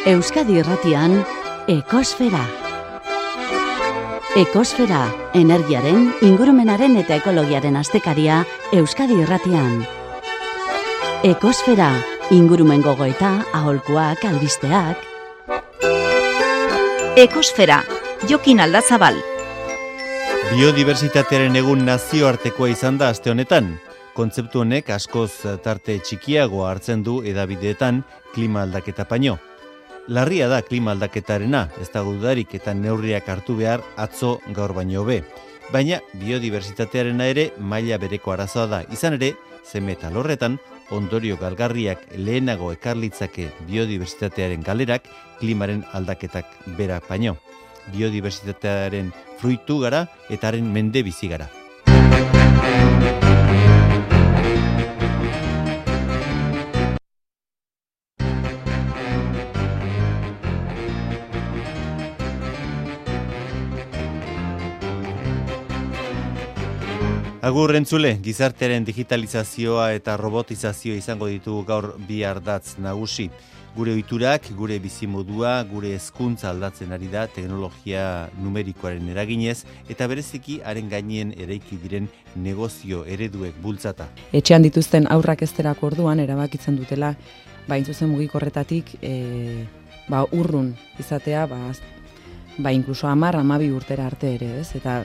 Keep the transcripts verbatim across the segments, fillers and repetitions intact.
Euskadi Irratian, Ekosfera. Ekosfera, energiaren, ingurumenaren eta ekologiaren astekaria Euskadi Irratian. Ekosfera, ingurumen gogoeta, aholkuak, albisteak. Ekosfera, Jokin Aldazabal. Biodibertsitatearen egun nazioartekoa izan da aste honetan. Kontzeptu honek askoz tarte txikiagoa hartzen du hedabideetan klima aldaketa baino. Larria da klima aldaketarena, ez da dudarik eta neurriak hartu behar atzo gaur baino hobe. Baina biodibertsitatearena ere maila bereko arazoa da. Izan ere, zeme eta lorretan, ondorio galgarriak lehenago ekarlitzake biodibertsitatearen galerak klimaren aldaketak bera baino. Biodibertsitatearen fruitu gara eta haren mende bizi gara. Agur entzule, gizartearen digitalizazioa eta robotizazioa izango ditugu gaur bi ardatz nagusi. Gure ohiturak, gure bizimodua, gure hezkuntza aldatzen ari da teknologia numerikoaren eraginez eta bereziki haren gainien eraiki diren negozio ereduek bultzata. Etxean dituzten aurrak ezterako orduan erabakitzen dutela, ba intzuzen mugikorretatik e, ba urrun izatea, ba, ba inkluso hamar, hamabi urtera arte ere, ez? Eta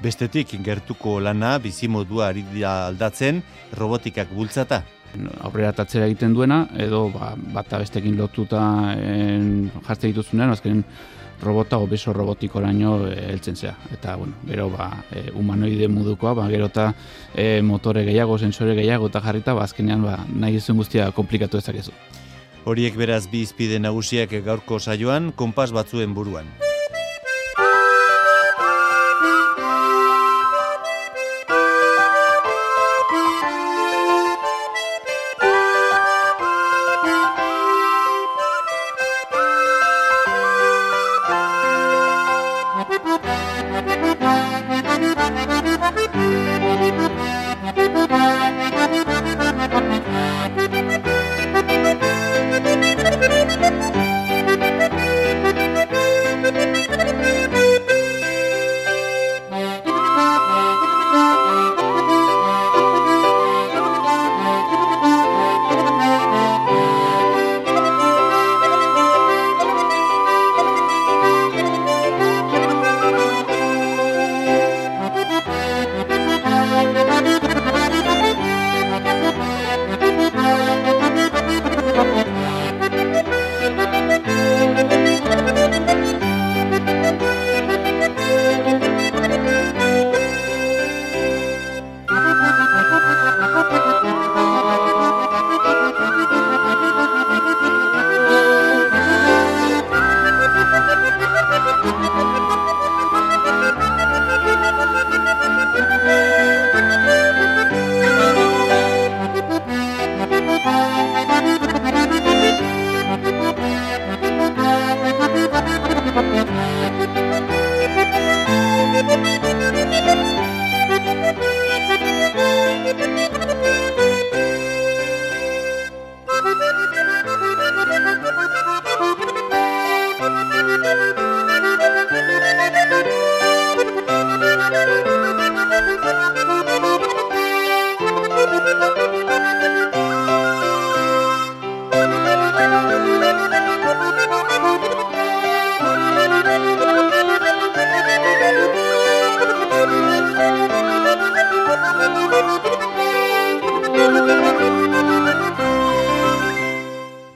bestetik, gertuko lana, bizimodua ari dira aldatzen, robotikak bultzata. Aurrera tatzera egiten duena, edo ba, bata bestekin lotuta en, jartzen dituzunean, azken robota o beso robotikoraino heltzen zea. Eta, bueno, gero, ba, e, humanoide modukoa, ba, gero eta e, motore gehiago, sensore gehiago eta jarrita, ba, azkenean ba, nahi ezuen guztia komplikatu ezakezu. Horiek beraz bi izpide nagusiak gaurko saioan, konpas batzuen buruan.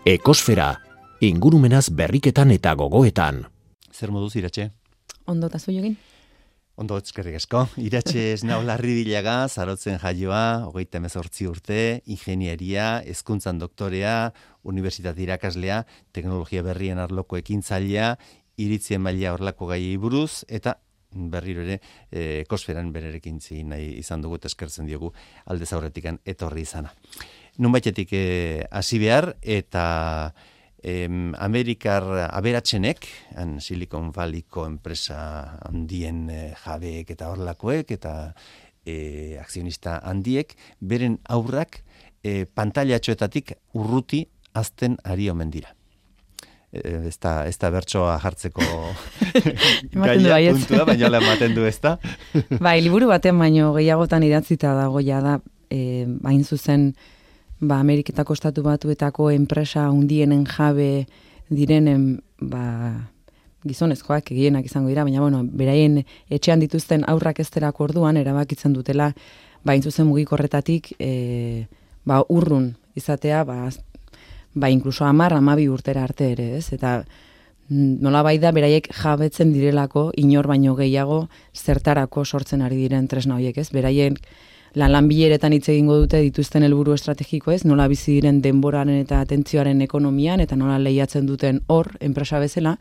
Ekosfera, ingurumenaz berriketan eta gogoetan. Zer moduz, Iratxe? Ondo eta zu Jokin? Ondo, eskerrik asko. Iratxe Esnau Larribilaga, Zarotzen jaioa, hogeita hemezortzi urte, ingenieria, hezkuntzan doktorea, unibertsitate irakaslea, teknologia berrien arloko ekintzailea, iritzien maila horlako gaiei buruz, eta berriro ere eh, ekosferan bererekin nahi izan dugu eta eskertzen diogu aldez aurretikan etorri izana. Nunbaitetik hasi behar eta em, Amerikar aberatsenek, han Silicon Valleyko enpresa handien eh, jabeek eta horlakoek eta eh, akzionista handiek, beren aurrak eh, pantailatxoetatik urruti azten ari omen dira. Ez da, ez da bertsoa jartzeko gaia puntua, baina hola ematen du, ez da? Bai, liburu baten baino gehiagotan idatzita dago ja da, e, bain zuzen, ba, Ameriketako Estatu Batuetako enpresa hundienen jabe direnen, ba, gizonezkoak egienak izango dira, baina, bueno, beraien etxean dituzten aurrak ezterako orduan, erabakitzen dutela, bain zuzen mugikorretatik, e, ba, urrun izatea, ba, ba, inkluso amar, amabi urtera arte ere, ez? Eta nola bai da, beraiek jabetzen direlako, inor baino gehiago, zertarako sortzen ari diren tresna horiek, ez? Beraien lan bileretan hitz egingo dute dituzten helburu estrategiko, ez? Nola bizi diren denboraren eta atentzioaren ekonomian, eta nola lehiatzen duten hor, enpresa bezala,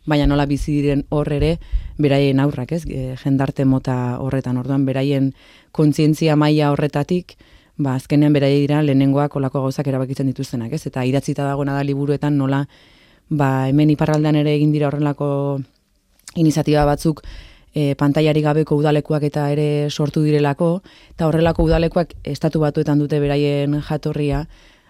baina nola bizi diren hor ere, beraien aurrak, ez? E, jendarte mota horretan, orduan, beraien kontzientzia maila horretatik, ba, azkenean beraia dira lehenengoak olako gauzak erabakitzen dituztenak, ez? Eta idatzita dagoena da liburuetan nola, ba, hemen iparraldean ere egin dira horrelako iniziatiba batzuk e, pantailari gabeko udalekuak eta ere sortu direlako, eta horrelako udalekuak estatu batuetan dute beraien jatorria,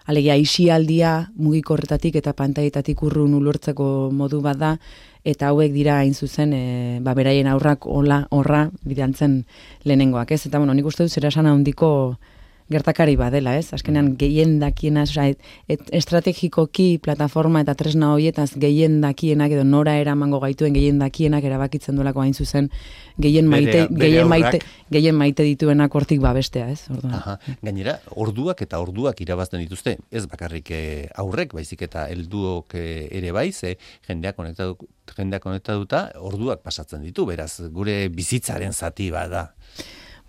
alegia isialdia mugikorretatik eta pantaietatik urrun ulertzeko modu bat da, eta hauek dira hain zuzen, e, ba, beraien aurrak hola, horra bidaltzen lehenengoak, ez? Eta, bueno, nik uste dut zera esan handiko gertakari badela, ez? Azkenean gehien dakiena, et, et, estrategikoki plataforma eta tresna horietaz gehien dakienak edo nora eramango gaituen gehien dakienak erabakitzen duelako hain zuzen gehien maite, bere, bere gehien maite, gehien maite dituenak hortik babestea, ez? Orduan. Aha. Gainera, orduak eta orduak irabazten dituzte, ez bakarrik aurrek, baizik eta helduok ere bai, ze jendeak konektatu, jendeak konektatuta orduak pasatzen ditu, beraz, gure bizitzaren zati bada.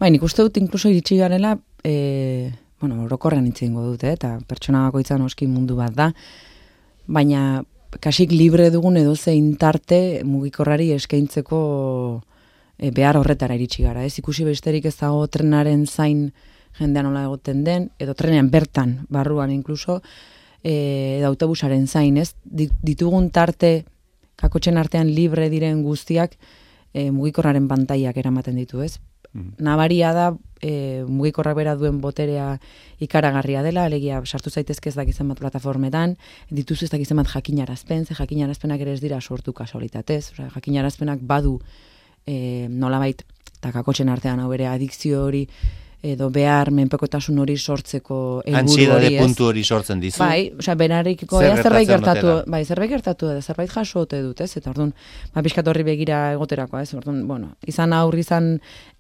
Bai, nik uste dut inkluso iritsi garela, e, bueno, orokorrean hitz egingo dute, eta pertsona bakoitzan oski mundu bat da, baina kasik libre dugun edo zein tarte mugikorrari eskaintzeko e, behar horretara iritsi gara, ez? Ikusi besterik ez dago trenaren zain jendean nola egoten den, edo trenean bertan, barruan inkluso, e, edo autobusaren zain, ez? Ditugun tarte, kakotxen artean libre diren guztiak, e, mugikorraren pantaiak eramaten ditu, ez? Nabaria da, e, mugikorrak bera duen boterea ikaragarria dela, alegia sartu zaitezke ez dakizen bat plataformetan, dituzu ez dakizen bat jakinarazpen, ze jakinarazpenak ere ez dira sortu kasualitatez, osea, jakinarazpenak badu e, nolabait, eta kakotxen artean hau ere adikzio hori, edo behar menpekotasun hori sortzeko helburu hori, ez? Antsiedade puntu hori sortzen dizu. Bai, osea, benarikiko zer zerbait gertatu, bai, zerbait gertatu da, zerbait jaso ote dut, ez? Eta orduan, ba pixkat horri begira egoterakoa, ez? Orduan, bueno, izan aurri izan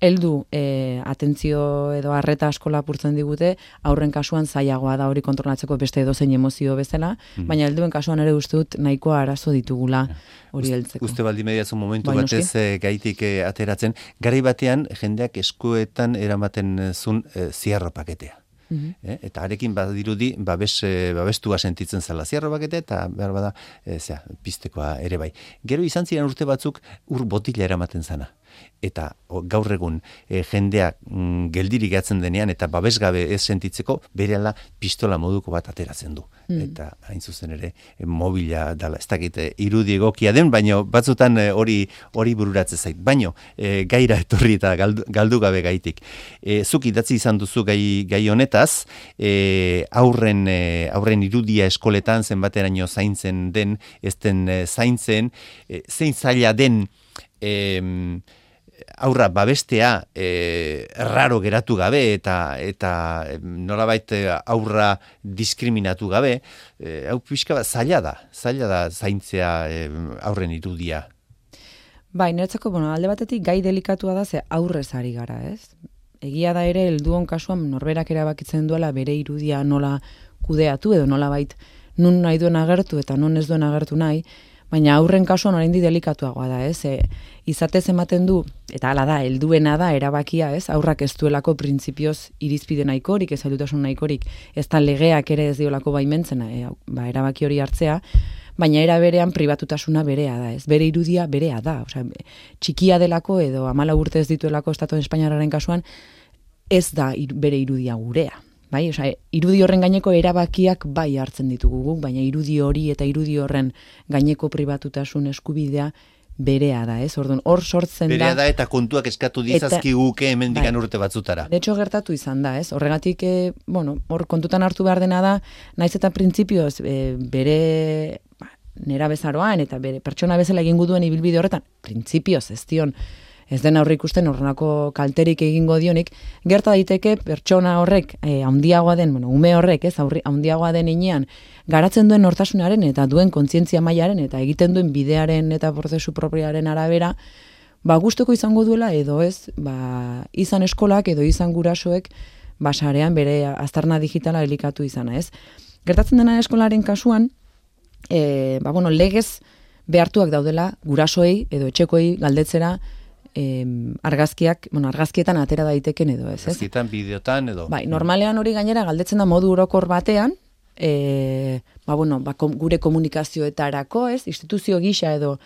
heldu e, atentzio edo arreta asko lapurtzen digute, aurren kasuan zailagoa da hori kontrolatzeko beste edozein emozio bezala, mm. baina helduen kasuan ere uste dut nahikoa arazo ditugula hori heltzeko. Uste baldi mediazu momentu bai, batez e, gaitik e, ateratzen, garai batean jendeak eskuetan eramaten zun e, ziarro paketea. Mm-hmm. eh? Eta arekin badirudi babes, e, babestua sentitzen zela ziarro paketea eta behar bada e, zera, piztekoa ere bai. Gero izan ziren urte batzuk ur botila eramaten zana. Eta o, gaur egun e, jendeak mm, geldirik gatzen denean eta babesgabe ez sentitzeko berehala pistola moduko bat ateratzen du. Mm. Eta hain zuzen ere e, mobila dala, ez dakit e, irudi egokia den, baino batzutan e, hori hori bururatzen zait. Baino e, gaira etorri eta galdu, galdu gabe gaitik. E, zuk idatzi izan duzu gai, gai honetaz, e, aurren, e, aurren irudia eskoletan zenbateraino zaintzen den, ez den e, zaintzen, e, zein zaila den e, aurra babestea e, raro geratu gabe eta eta nolabait aurra diskriminatu gabe, e, hau pixka bat zaila da, zaila da zaintzea e, aurren irudia. Bai, niretzako, bueno, alde batetik gai delikatua da ze aurrez ari gara, ez? Egia da ere helduon kasuan norberak erabakitzen duela bere irudia nola kudeatu edo nolabait nun nahi duen agertu eta non ez duen agertu nahi, baina aurren kasuan oraindik delikatuagoa da, ez? E, izatez ematen du, eta hala da, helduena da erabakia, ez? Aurrak ez duelako printzipioz irizpide nahikorik, ez heldutasun nahikorik, ez da legeak ere ez diolako baimentzen, e, ba, erabaki hori hartzea, baina era berean pribatutasuna berea da, ez? Bere irudia berea da, osea, txikia delako edo hamalau urte ez dituelako Estatu Espainiarraren kasuan, ez da ir, bere irudia gurea. Bai, osea, irudi horren gaineko erabakiak bai hartzen ditugu guk, baina irudi hori eta irudi horren gaineko pribatutasun eskubidea berea da, ez? Orduan, hor sortzen da... Berea da eta kontuak eskatu dizazkiguke hemendikan bai, urte batzutara. De hecho, gertatu izan da, ez? Horregatik, e, bueno, hor kontutan hartu behar dena da, naiz eta printzipioz e, bere ba, nera bezaroan eta bere pertsona bezala egingo duen ibilbide horretan, printzipioz ez dion, ez den aurre ikusten horrenako kalterik egingo dionik, gerta daiteke pertsona horrek e, handiagoa den, bueno, ume horrek, ez, aurri, handiagoa den inean, garatzen duen nortasunaren eta duen kontzientzia mailaren eta egiten duen bidearen eta prozesu proprioaren arabera, ba gustuko izango duela edo ez, ba izan eskolak edo izan gurasoek basarean bere aztarna digitala elikatu izana, ez? Gertatzen dena eskolaren kasuan, e, ba bueno, legez behartuak daudela gurasoei edo etxekoei galdetzera Eh, argazkiak, bueno, argazkietan atera daiteken edo ez, ez? Argazkietan, bideotan edo. Bai, normalean hori gainera galdetzen da modu orokor batean, e, ba, bueno, ba, kom, gure komunikazioetarako, ez? Instituzio gisa edo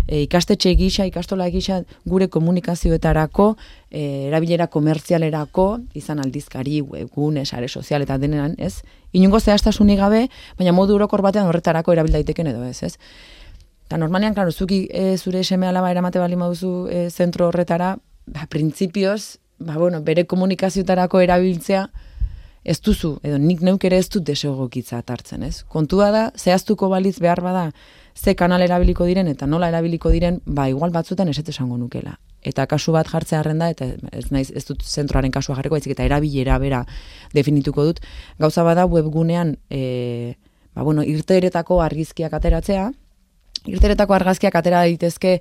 e, ikastetxe gisa, ikastola gisa, gure komunikazioetarako, e, erabilera komertzialerako, izan aldizkari, webgune, sare sozial eta denean, ez? Inungo zehaztasunik gabe, baina modu orokor batean horretarako erabil daiteken edo ez, ez? Eta normalean, klaro, zuki e, zure seme alaba eramate bali maduzu e, zentro horretara, ba, printzipioz, ba, bueno, bere komunikazioetarako erabiltzea ez duzu, edo nik neuk ere ez dut desegokitza hartzen, ez? Kontua da, zehaztuko balitz behar bada, ze kanal erabiliko diren eta nola erabiliko diren, ba, igual batzutan eset esango nukela. Eta kasu bat jartzea arren da, eta ez naiz ez dut zentroaren kasua jarriko, baizik eta erabilera bera definituko dut. Gauza bada webgunean, e, ba, bueno, irteeretako argizkiak ateratzea, irteretako argazkiak atera daitezke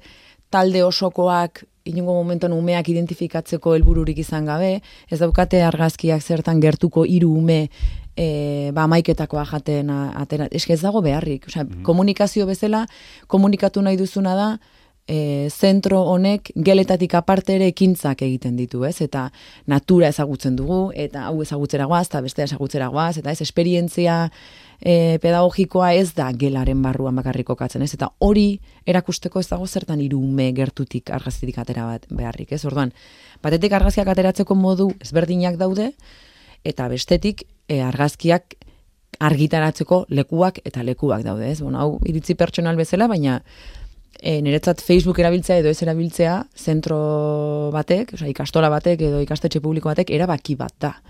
talde osokoak inongo momentuan umeak identifikatzeko helbururik izan gabe, ez daukate argazkiak zertan gertuko hiru ume e, ba amaiketakoa jaten atera, eske ez dago beharrik, osea, mm-hmm. komunikazio bezala komunikatu nahi duzuna da e, zentro honek geletatik aparte ere ekintzak egiten ditu, ez? Eta natura ezagutzen dugu, eta hau ezagutzera goaz, eta bestea ezagutzera goaz, eta ez, esperientzia E, pedagogikoa ez da gelaren barruan bakarrik kokatzen, ez? Eta hori erakusteko ez dago zertan hiru ume gertutik argazkitik atera bat beharrik, ez? Orduan, batetik argazkiak ateratzeko modu ezberdinak daude, eta bestetik e, argazkiak argitaratzeko lekuak eta lekuak daude, ez? Bueno, hau iritzi pertsonal bezala, baina e, niretzat Facebook erabiltzea edo ez erabiltzea zentro batek, osea, ikastola batek edo ikastetxe publiko batek erabaki bat da.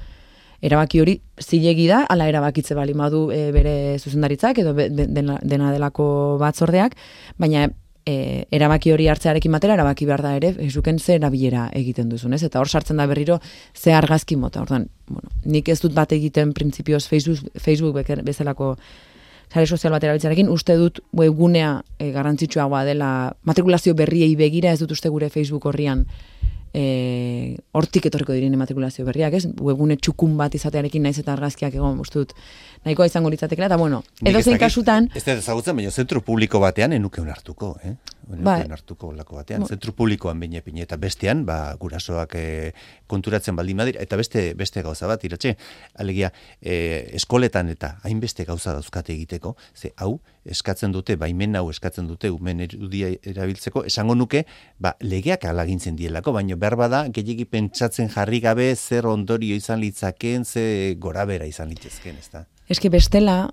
Erabaki hori zilegi da, ala erabakitze bali madu e, bere zuzendaritzak edo be, dena, dena delako batzordeak, baina e, erabaki hori hartzearekin batera, erabaki behar da ere, Facebooken ze erabilera egiten duzun, ez? Eta hor sartzen da berriro ze argazki mota. Orduan, bueno, nik ez dut bat egiten printzipioz Facebook, Facebook bezalako sare sozial bat erabiltzarekin, uste dut webgunea e, garrantzitsuagoa dela, matrikulazio berriei begira, ez dut uste gure Facebook horrian E, hortik etorriko diren matrikulazio berriak, ez? Webgune txukun bat izatearekin naiz eta argazkiak egon, uste dut, nahikoa izango litzatekela, eta bueno, edo zein kasutan... Ez da ezagutzen, baina zentru publiko batean enuke hartuko, eh? Ba, hartuko lako batean, ba, zentru publikoan bine pine, eta bestean, ba, gurasoak e, konturatzen baldin badira, eta beste beste gauza bat, iratxe, alegia, e, eskoletan eta hainbeste gauza dauzkate egiteko, ze hau, eskatzen dute, baimen hau eskatzen dute, umen erudia erabiltzeko, esango nuke, ba, legeak alagintzen dielako, baina behar bada, gehiagi pentsatzen jarri gabe, zer ondorio izan litzaken, ze gorabera izan litzezken, ez da? Eske bestela,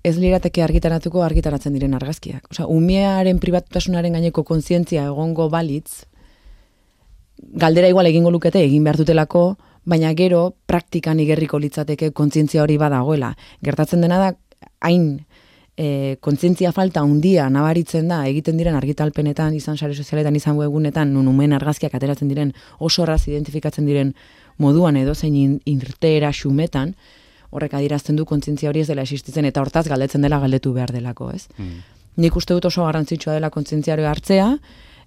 ez lirateke argitaratuko argitaratzen diren argazkiak. Osea, umearen pribatutasunaren gaineko kontzientzia egongo balitz, galdera igual egingo lukete egin behar dutelako, baina gero praktikan igerriko litzateke kontzientzia hori badagoela. Gertatzen dena da, hain e, kontzientzia falta handia nabaritzen da, egiten diren argitalpenetan, izan sare sozialetan, izan webunetan, nun umen argazkiak ateratzen diren, oso erraz identifikatzen diren moduan edo zein irteera xumetan, horrek adierazten du kontzientzia hori ez dela existitzen, eta hortaz galdetzen dela galdetu behar delako, ez? Mm. Nik uste dut oso garrantzitsua dela kontzientzia hori hartzea,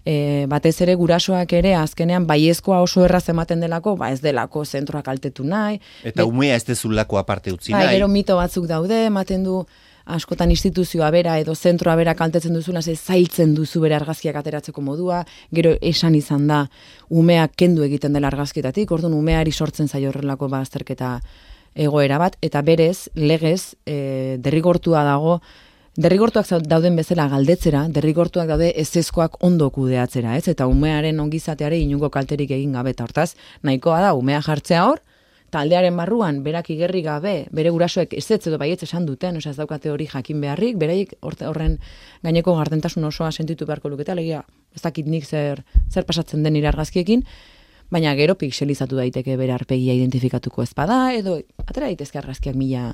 e, batez ere gurasoak ere azkenean baiezkoa oso erraz ematen delako, ba ez delako zentroak kaltetu nahi. Eta Bet, umea ez dezulako aparte utzi nahi. Ba, gero mito batzuk daude, ematen du askotan instituzioa bera edo zentroa bera kaltetzen duzula, ze zailtzen duzu bere argazkiak ateratzeko modua, gero esan izan da umeak kendu egiten dela argazkietatik, orduan umeari sortzen zaio horrelako bazterketa egoera bat, eta berez, legez, e, derrigortua dago, derrigortuak dauden bezala galdetzera, derrigortuak daude ezezkoak ondo kudeatzera, ez? Eta umearen ongizateare inungo kalterik egin gabe, eta hortaz, nahikoa da, umea jartzea hor, taldearen barruan, berak igerri gabe, bere gurasoek ez ez edo baietz esan duten, osea ez daukate hori jakin beharrik, beraiek horren gaineko gardentasun osoa sentitu beharko lukete, alegia, ez dakit nik zer, zer pasatzen den nire argazkiekin, baina gero pixelizatu daiteke bere arpegia identifikatuko ez bada, edo atera daitezke argazkiak mila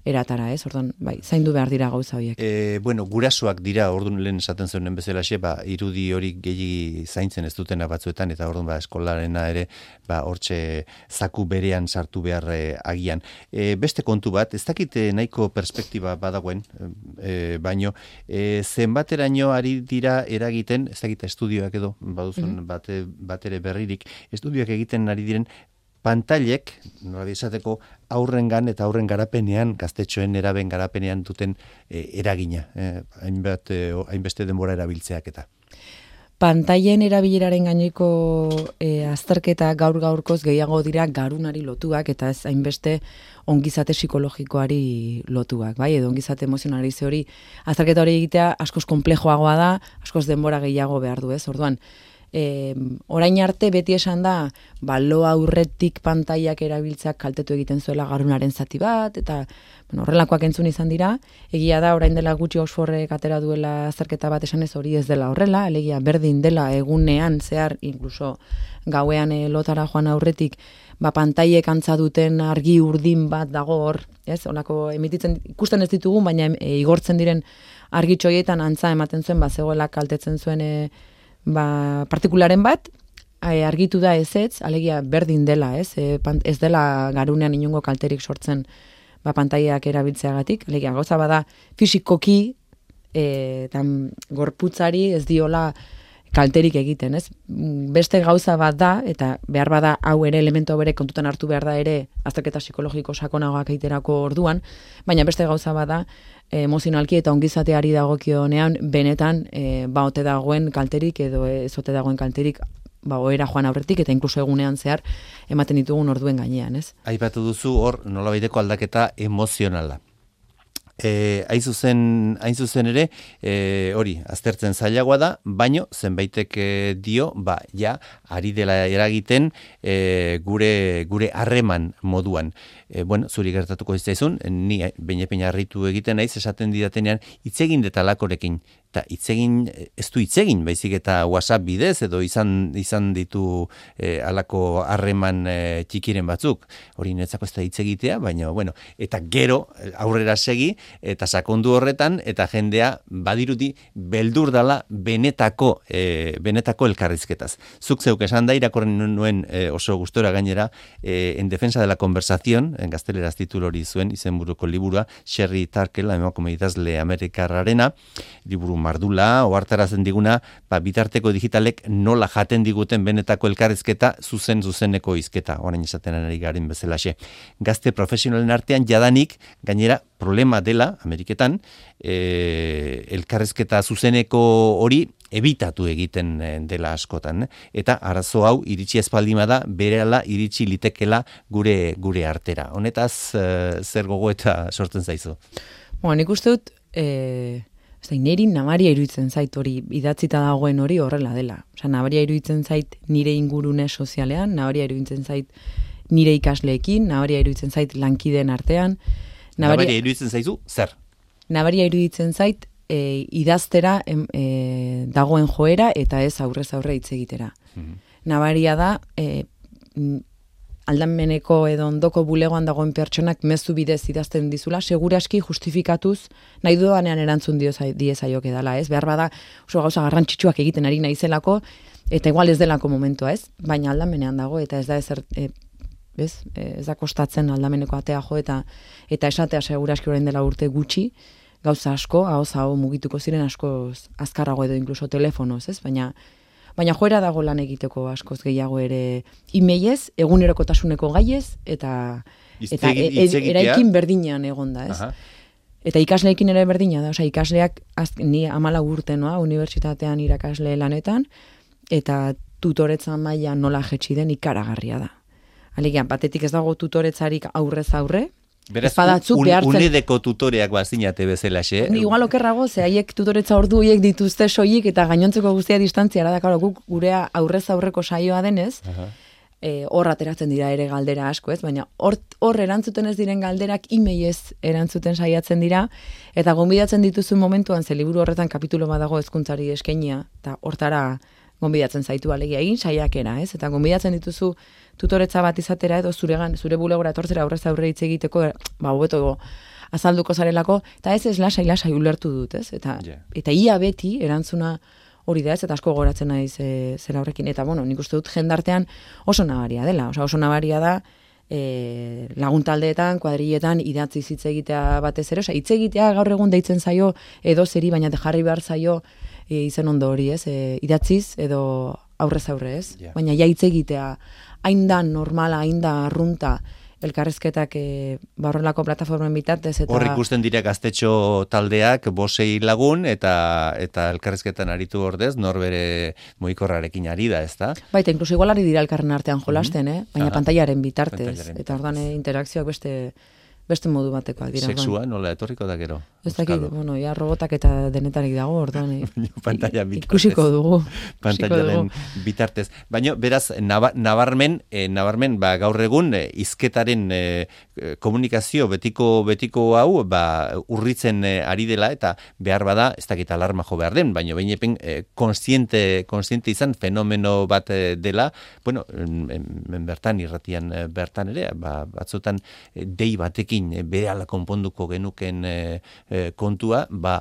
eratara, ez? Orduan, bai, zaindu behar dira gauza horiek. E, bueno, gurasoak dira, orduan lehen esaten zuen bezalaxe, ba, irudi hori gehi zaintzen ez dutena batzuetan, eta orduan ba, eskolarena ere, ba, hortxe zaku berean sartu behar e, agian. E, beste kontu bat, ez dakit nahiko perspektiba badagoen, e, baino, e, zenbateraino ari dira eragiten, ez dakit estudioak edo, baduzun mm-hmm. bate, batere berririk, estudioak egiten ari diren, pantailek, nola esateko, aurrengan eta aurren garapenean, gaztetxoen eraben garapenean duten e, eragina, eh, hainbat, e, hainbeste denbora erabiltzeak eta. Pantailen erabileraren gaineko e, azterketa gaur gaurkoz gehiago dira garunari lotuak eta ez hainbeste ongizate psikologikoari lotuak, bai, edo ongizate emozionali ze hori azterketa hori egitea askoz konplejoagoa da, askoz denbora gehiago behar du, ez? Orduan, E, orain arte beti esan da balo aurretik pantaiak erabiltzak kaltetu egiten zuela garunaren zati bat, eta bueno, horrelakoak entzun izan dira. Egia da, orain dela gutxi Oxfordek atera duela azterketa bat esan ez hori ez dela horrela, alegia berdin dela egunean zehar, inkluso gauean e, lotara joan aurretik, ba, pantaiek antza duten argi urdin bat dago hor, ez? Olako emititzen, ikusten ez ditugu, baina e, igortzen diren argitxoietan antza ematen zuen, ba, zegoela kaltetzen zuen e, ba, partikularen bat, argitu da ezetz, alegia berdin dela, ez? E, ez dela garunean inongo kalterik sortzen ba, pantaiak erabiltzeagatik, alegia gauza bada fisikoki e, tam, gorputzari ez diola kalterik egiten, ez? Beste gauza bat da, eta behar bada hau ere elemento bere kontutan hartu behar da ere azterketa psikologiko sakonagoak egiterako orduan, baina beste gauza bat da, emozionalki eta ongizateari dagokionean benetan e, ba ote dagoen kalterik edo ez ote dagoen kalterik ba ohera joan aurretik eta inkluso egunean zehar ematen ditugun orduen gainean, ez? Aipatu duzu hor nolabaiteko aldaketa emozionala. E, hain zuzen, hain zuzen ere, e, hori, aztertzen zailagoa da, baino zenbaitek e, dio, ba, ja, ari dela eragiten e, gure gure harreman moduan. E, bueno, zuri gertatuko iztaizun, ni beine-peina harritu egiten naiz, esaten didatenean, hitzegin detalakorekin, eta hitzegin, ez du hitzegin, baizik eta WhatsApp bidez, edo izan izan ditu e, alako harreman e, txikiren batzuk, hori netzako ez da hitzegitea, baina, bueno, eta gero aurrera segi, eta sakondu horretan, eta jendea badirudi beldur dala benetako, e, benetako elkarrizketaz. Zuk zeuk esan da, irakorren nuen e, oso gustora gainera, e, en defensa de la conversación, en gazteleraz titulu hori zuen, izenburuko liburua, Sherry Turkle, emakume idazle amerikarrarena, liburu mardula, ohartarazen diguna, ba, bitarteko digitalek nola jaten diguten benetako elkarrizketa, zuzen zuzeneko hizketa, orain esaten ari garen bezalaxe. Gazte profesionalen artean jadanik, gainera, problema dela, Ameriketan, e, elkarrizketa zuzeneko hori ebitatu egiten dela askotan. Eta arazo hau iritsi espaldima da, berehala iritsi litekela gure gure artera. Honetaz, e, zer gogo eta sortzen zaizu? Bueno, nik uste dut, e, niri nabaria iruditzen zait hori, idatzita dagoen hori horrela dela. Osa, nabaria iruditzen zait nire ingurune sozialean, nabaria iruditzen zait nire ikasleekin, nabaria iruditzen zait lankideen artean. Nabaria, nabaria iruditzen zaizu, zer? Nabaria iruditzen zait e, idaztera em, e, dagoen joera eta ez aurrez aurre hitz egitera. Mm-hmm. Nabaria da e, aldameneko edo ondoko bulegoan dagoen pertsonak mezu bidez idazten dizula, seguraski justifikatuz nahi dudanean erantzun diezaioke dela, ez? Behar bada oso gauza garrantzitsuak egiten ari naizelako eta igual ez delako momentua, ez? Baina aldamenean dago eta ez da ezer... E, Ez, ez da kostatzen aldameneko atea jo eta eta esatea seguraski orain dela urte gutxi, gauza asko, ahoz hau mugituko ziren asko azkarrago edo inkluso telefonoz, ez? Baina, baina joera dago lan egiteko askoz gehiago ere imeiez, egunerokotasuneko gaiez, eta, eta e, e, eraikin berdinean egonda, ez? Aha. Eta ikasleekin ere berdina da, osea, ikasleak az, ni hamalau urte noa, unibertsitatean irakasle lanetan, eta tutoretza maila nola jetxi den ikaragarria da. Alegia, batetik ez dago tutoretzarik aurrez aurre. Beraz, un, unedeko tutoreak bazinate bezala, xe? Igual okerrago, ze haiek tutoretza ordu horiek dituzte soilik eta gainontzeko guztia distantziara da, karo, guk gurea aurrez aurreko saioa denez, aha, E, hor ateratzen dira ere galdera asko, ez? Baina hor, hor erantzuten ez diren galderak emailez erantzuten saiatzen dira, eta gonbidatzen dituzu momentuan, ze liburu horretan kapitulo bat dago hezkuntzari eskainia, eta hortara gonbidatzen zaitu alegia egin saiakera, ez? Eta gonbidatzen dituzu tutoretza bat izatera, edo zuregan, zure bulegora etortzera aurrez aurre hitz egiteko, ba, hobeto azalduko zarelako, eta ez ez lasai lasai ulertu dut, ez? Eta, yeah. eta ia beti erantzuna hori da ez, eta asko goratzen naiz e, zera horrekin. Eta, bueno, nik uste dut jendartean oso nabaria dela. Osa, oso nabaria da e, laguntaldeetan, kuadrilletan, idatzi hitz egitea batez ere. Osa, hitz egitea gaur egun deitzen zaio edo zeri, baina jarri behar zaio e, izen ondo hori ez, e, idatziz edo aurrez aurre ez. Yeah. Baina ja hitz egitea, hain da normala, hain da arrunta, elkarrizketak e, barrelako plataformen bitartez. Eta... Hor ikusten dira gaztetxo taldeak bosei lagun eta eta elkarrizketan aritu ordez, norbere moikorrarekin ari da, ez da? Baita, inkluso igual ari dira elkarren artean jolasten, mm-hmm. eh? baina Aha. pantaiaren bitartez. Pantaiaren eta ordan interakzioak beste beste modu batekoak dira. Sexua, nola etorriko da gero? Ez dakit, bueno, ja robotak eta denetarik dago, orduan. Pantalla bitartez. Ikusiko dugu. Pantaiaren bitartez. Baina, beraz, naba, nabarmen, eh, nabarmen, ba, gaur egun, eh, izketaren eh, komunikazio betiko betiko hau, ba, urritzen eh, ari dela, eta behar bada, ez dakit alarma jo behar den, baina behin epen, eh, konstiente, konstiente izan fenomeno bat eh, dela, bueno, en, en, bertan, irratian eh, bertan ere, ba, batzutan eh, dei batekin berehala konponduko genuken e, e, kontua, ba,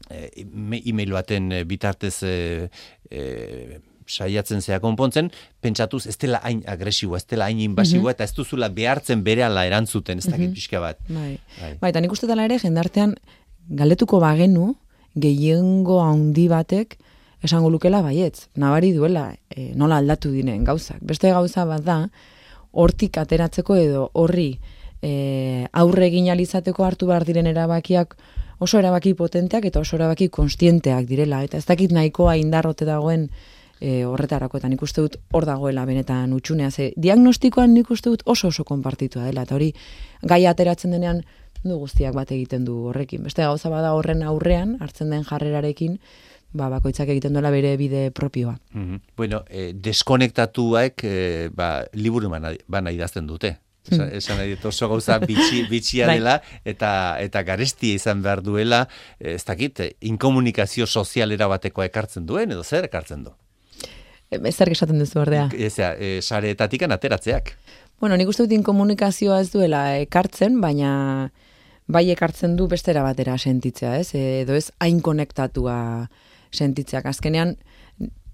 e, e-mail baten bitartez e, e, saiatzen zea konpontzen, pentsatuz ez dela hain agresiboa, ez dela hain invasiboa, mm-hmm. eta ez duzula behartzen berehala erantzuten, ez dakit mm-hmm. pixka bat. Bai, bai. Bai, eta nik uste dela ere, jendartean galdetuko bagenu, gehiengo handi batek, esango lukela baietz, nabari duela, e, nola aldatu diren gauzak. Beste gauza bat da, hortik ateratzeko edo horri, E, aurre egin alizateko hartu behar diren erabakiak oso erabaki potenteak eta oso erabaki konstienteak direla, eta ez dakit nahikoa indarrote dagoen e, horretarako, eta nik uste dut hor dagoela benetan utxunea, ze diagnostikoan nik uste dut oso oso konpartitua dela, eta hori gai ateratzen denean du guztiak bat egiten du horrekin. Beste gauza bada horren aurrean, hartzen den jarrerarekin, ba, bakoitzak egiten duela bere bide propioa. Mm-hmm. Bueno, eh, deskonektatuak eh, ba, liburu bana, bana idazten dute. Esan, esan nahi dut oso gauza bitxi, bitxia dela eta eta garestia izan behar duela, ez dakit, inkomunikazio sozialera batekoa ekartzen duen edo zer ekartzen du? Zer esaten duzu ordea? Ezea, e, sareetatik ateratzeak. Bueno, nik uste dut inkomunikazioa ez duela ekartzen, baina bai ekartzen du bestera batera sentitzea, ez? Edo ez hain konektatua sentitzeak. Azkenean,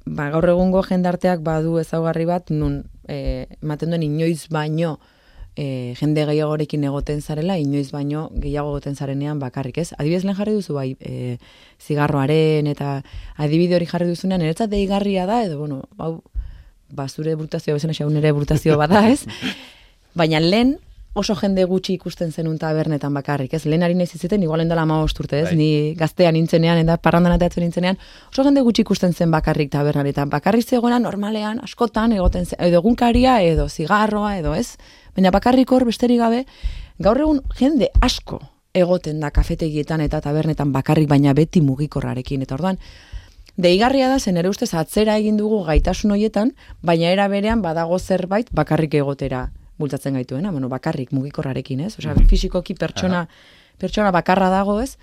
ba, gaur egungo jendarteak badu ezaugarri bat, nun e, ematen duen inoiz baino E, jende gehiagorekin egoten zarela, inoiz baino gehiago egoten zarenean bakarrik, ez? Adibidez lehen jarri duzu bai, e, zigarroaren eta adibide hori jarri duzunean, niretzat deigarria da, edo, bueno, hau, ba, zure brutazioa bezena xaun ere brutazio bada, ez? Baina lehen oso jende gutxi ikusten zenun tabernetan bakarrik, ez? Lehen ari nahi ziziten, igualen dela hamabost urte, ez? Bai. Ni gaztean nintzenean, eta parrandan ateatzen nintzenean, oso jende gutxi ikusten zen bakarrik tabernaretan. Bakarrik zegoena normalean, askotan, egoten zen, edo egunkaria, edo zigarroa, edo ez? Baina bakarrik hor besterik gabe, gaur egun jende asko egoten da kafetegietan eta tabernetan bakarrik, baina beti mugikorrarekin. Eta orduan, deigarria da, zen ere ustez atzera egin dugu gaitasun horietan, baina era berean badago zerbait bakarrik egotera bultzatzen gaituena, bueno, bakarrik mugikorrarekin, ez? Osea, mm-hmm. fisikoki pertsona, pertsona bakarra dago, ez?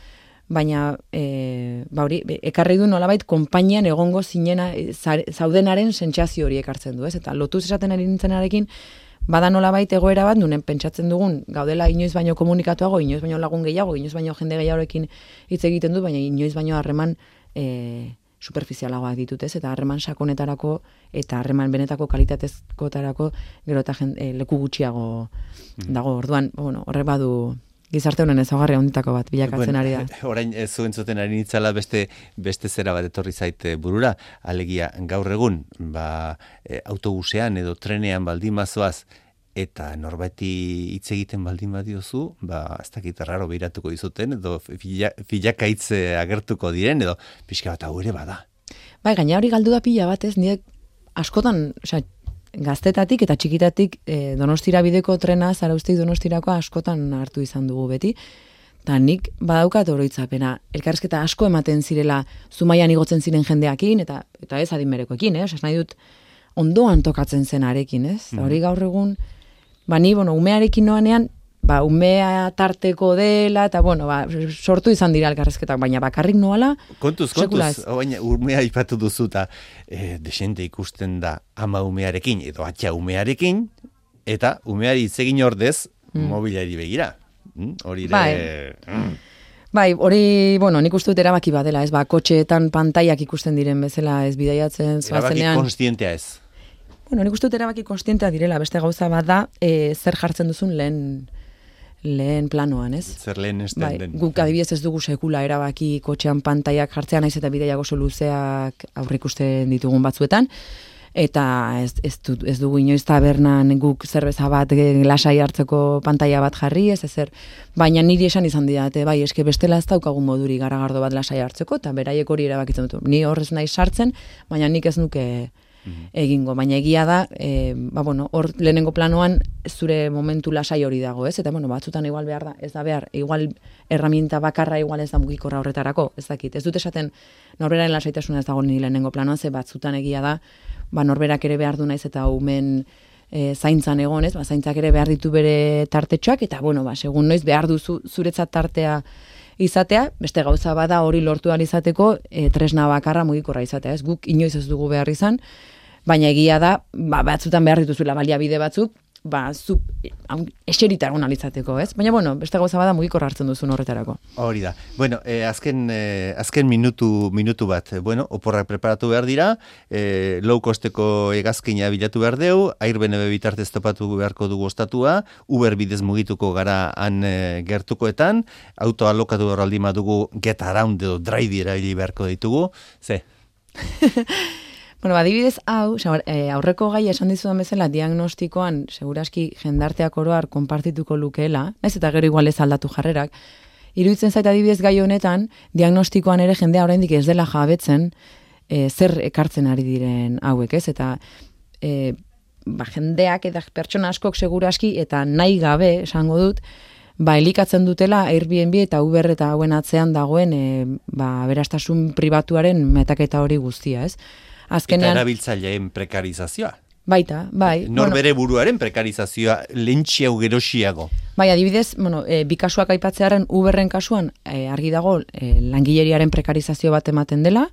Baina, e, ba hori, ekarri du nolabait konpainian egongo zinena, e, zaudenaren sentsazio hori ekartzen du, ez? Eta lotuz esaten ari nintzenarekin, bada nolabait egoera bat, nunen pentsatzen dugun, gaudela inoiz baino komunikatuago, inoiz baino lagun gehiago, inoiz baino jende gehiagorekin hitz egiten du, baina inoiz baino harreman e, superficialagoak ditut, ez? Eta harreman sakonetarako eta harreman benetako kalitatezkotarako gero eta e, leku gutxiago dago. Orduan, bueno, horre badu gizarte honen ezaugarri handitako bat bilakatzen ari da. Orain ez zuen zuten ari nitzala beste beste zera bat etorri zaite burura, alegia gaur egun, ba, e, autobusean edo trenean baldin bazoaz eta norbaiti hitz egiten baldin badiozu, ba, ez dakit erraro behiratuko dizuten, edo filakaitz agertuko diren, edo pixka bat hau ere bada. Bai, gaina hori galdu da pila bat, ez, nire askotan, osea, gaztetatik eta txikitatik e, Donostira bideko trena, Zarauztik Donostirako askotan hartu izan dugu beti. Eta nik badaukat oroitzapena, elkarrizketa asko ematen zirela Zumaian igotzen ziren jendeakin, eta eta ez adinberekoekin, eh? Osea, nahi dut ondoan tokatzen zen arekin, ez? Mm. Hori gaur egun, ba, ni, bueno, umearekin noanean, ba, umea tarteko dela, eta, bueno, ba, sortu izan dira elkarrezketak, baina bakarrik noala, Kontuz, sekula kontuz, ez. baina umea ipatu duzu, eta e, desente ikusten da ama umearekin, edo atxa umearekin, eta umeari hitz egin ordez, Mm. mobilari begira. Mm, Hori ere... Bai. Mm. Bai, hori, bueno, nik uste dut erabaki badela, ez, ba, kotxeetan pantaiak ikusten diren bezala, ez bidaiatzen Erabaki zoazenean. konstientea ez. Bueno, nik uste dut erabaki konstientea direla, beste gauza bat da, e, zer jartzen duzun lehen, lehen planoan, ez? Zer lehen esten Bai, den. guk adibidez ez dugu sekula erabaki kotxean pantaiak jartzea, naiz eta bidaiak oso luzeak aurreikusten ditugun batzuetan, eta ez, ez, du, ez dugu inoiz tabernan guk zerbeza bat e, lasai hartzeko pantaila bat jarri, ez ezer, baina niri esan izan didate, bai, eske bestela ez daukagun moduri garagardo bat lasai hartzeko, eta beraiek hori erabakitzen dut. Ni horrez nahi sartzen, baina nik ez nuke egingo, baina egia da, e, ba, bueno, hor lehenengo planoan zure momentu lasai hori dago, ez? Eta, bueno, batzutan igual behar da, ez da behar, igual herramienta bakarra igual ez da mugikorra horretarako, ez dakit. Ez dut esaten norberaren lasaitasuna ez dago ni lehenengo planoan, ze batzutan egia da, ba, norberak ere behar du naiz eta umen e, zaintzan egonez, ba, zaintzak ere behar ditu bere tartetxoak, eta, bueno, ba, segun noiz behar duzu zuretzat tartea izatea, beste gauza bada hori lortu ahal izateko e, tresna bakarra mugikorra izatea, ez? Guk inoiz ez dugu behar izan, baina egia da, ba, batzutan behar dituzuela baliabide batzuk, ba, zu, eserita egon alizateko, ez? Baina, bueno, beste gauza bada mugikorra hartzen duzun horretarako. Hori da. Bueno, eh, azken, eh, azken minutu, minutu bat, bueno, oporrak preparatu behar dira, eh, low costeko hegazkina bilatu behar deu, Air B N B bitartez topatu beharko dugu ostatua, Uber bidez mugituko gara han eh, gertukoetan, auto alokatu horraldi dugu get around edo drive erabili beharko ditugu, ze? Bueno, adibidez, hau, aurreko gai esan dizudan bezala, diagnostikoan, seguraski jendarteak oroar konpartituko lukeela, naiz eta gero igual ez aldatu jarrerak, iruditzen zait adibidez gai honetan, diagnostikoan ere jendea oraindik ez dela jabetzen e, zer ekartzen ari diren hauek, ez? Eta e, ba, jendeak eta pertsona askok seguraski eta nahi gabe, esango dut, ba, elikatzen dutela Airbnb eta Uber eta hauen atzean dagoen e, ba, aberastasun pribatuaren metaketa hori guztia, ez? Azkenean, eta erabiltzaileen prekarizazioa. Baita, bai. Norbere bueno, buruaren prekarizazioa lentxiago gerosiago. Bai, adibidez, bueno, e, bi kasuak aipatzearen Uberren kasuan e, argi dago e, langileriaren prekarizazio bat ematen dela,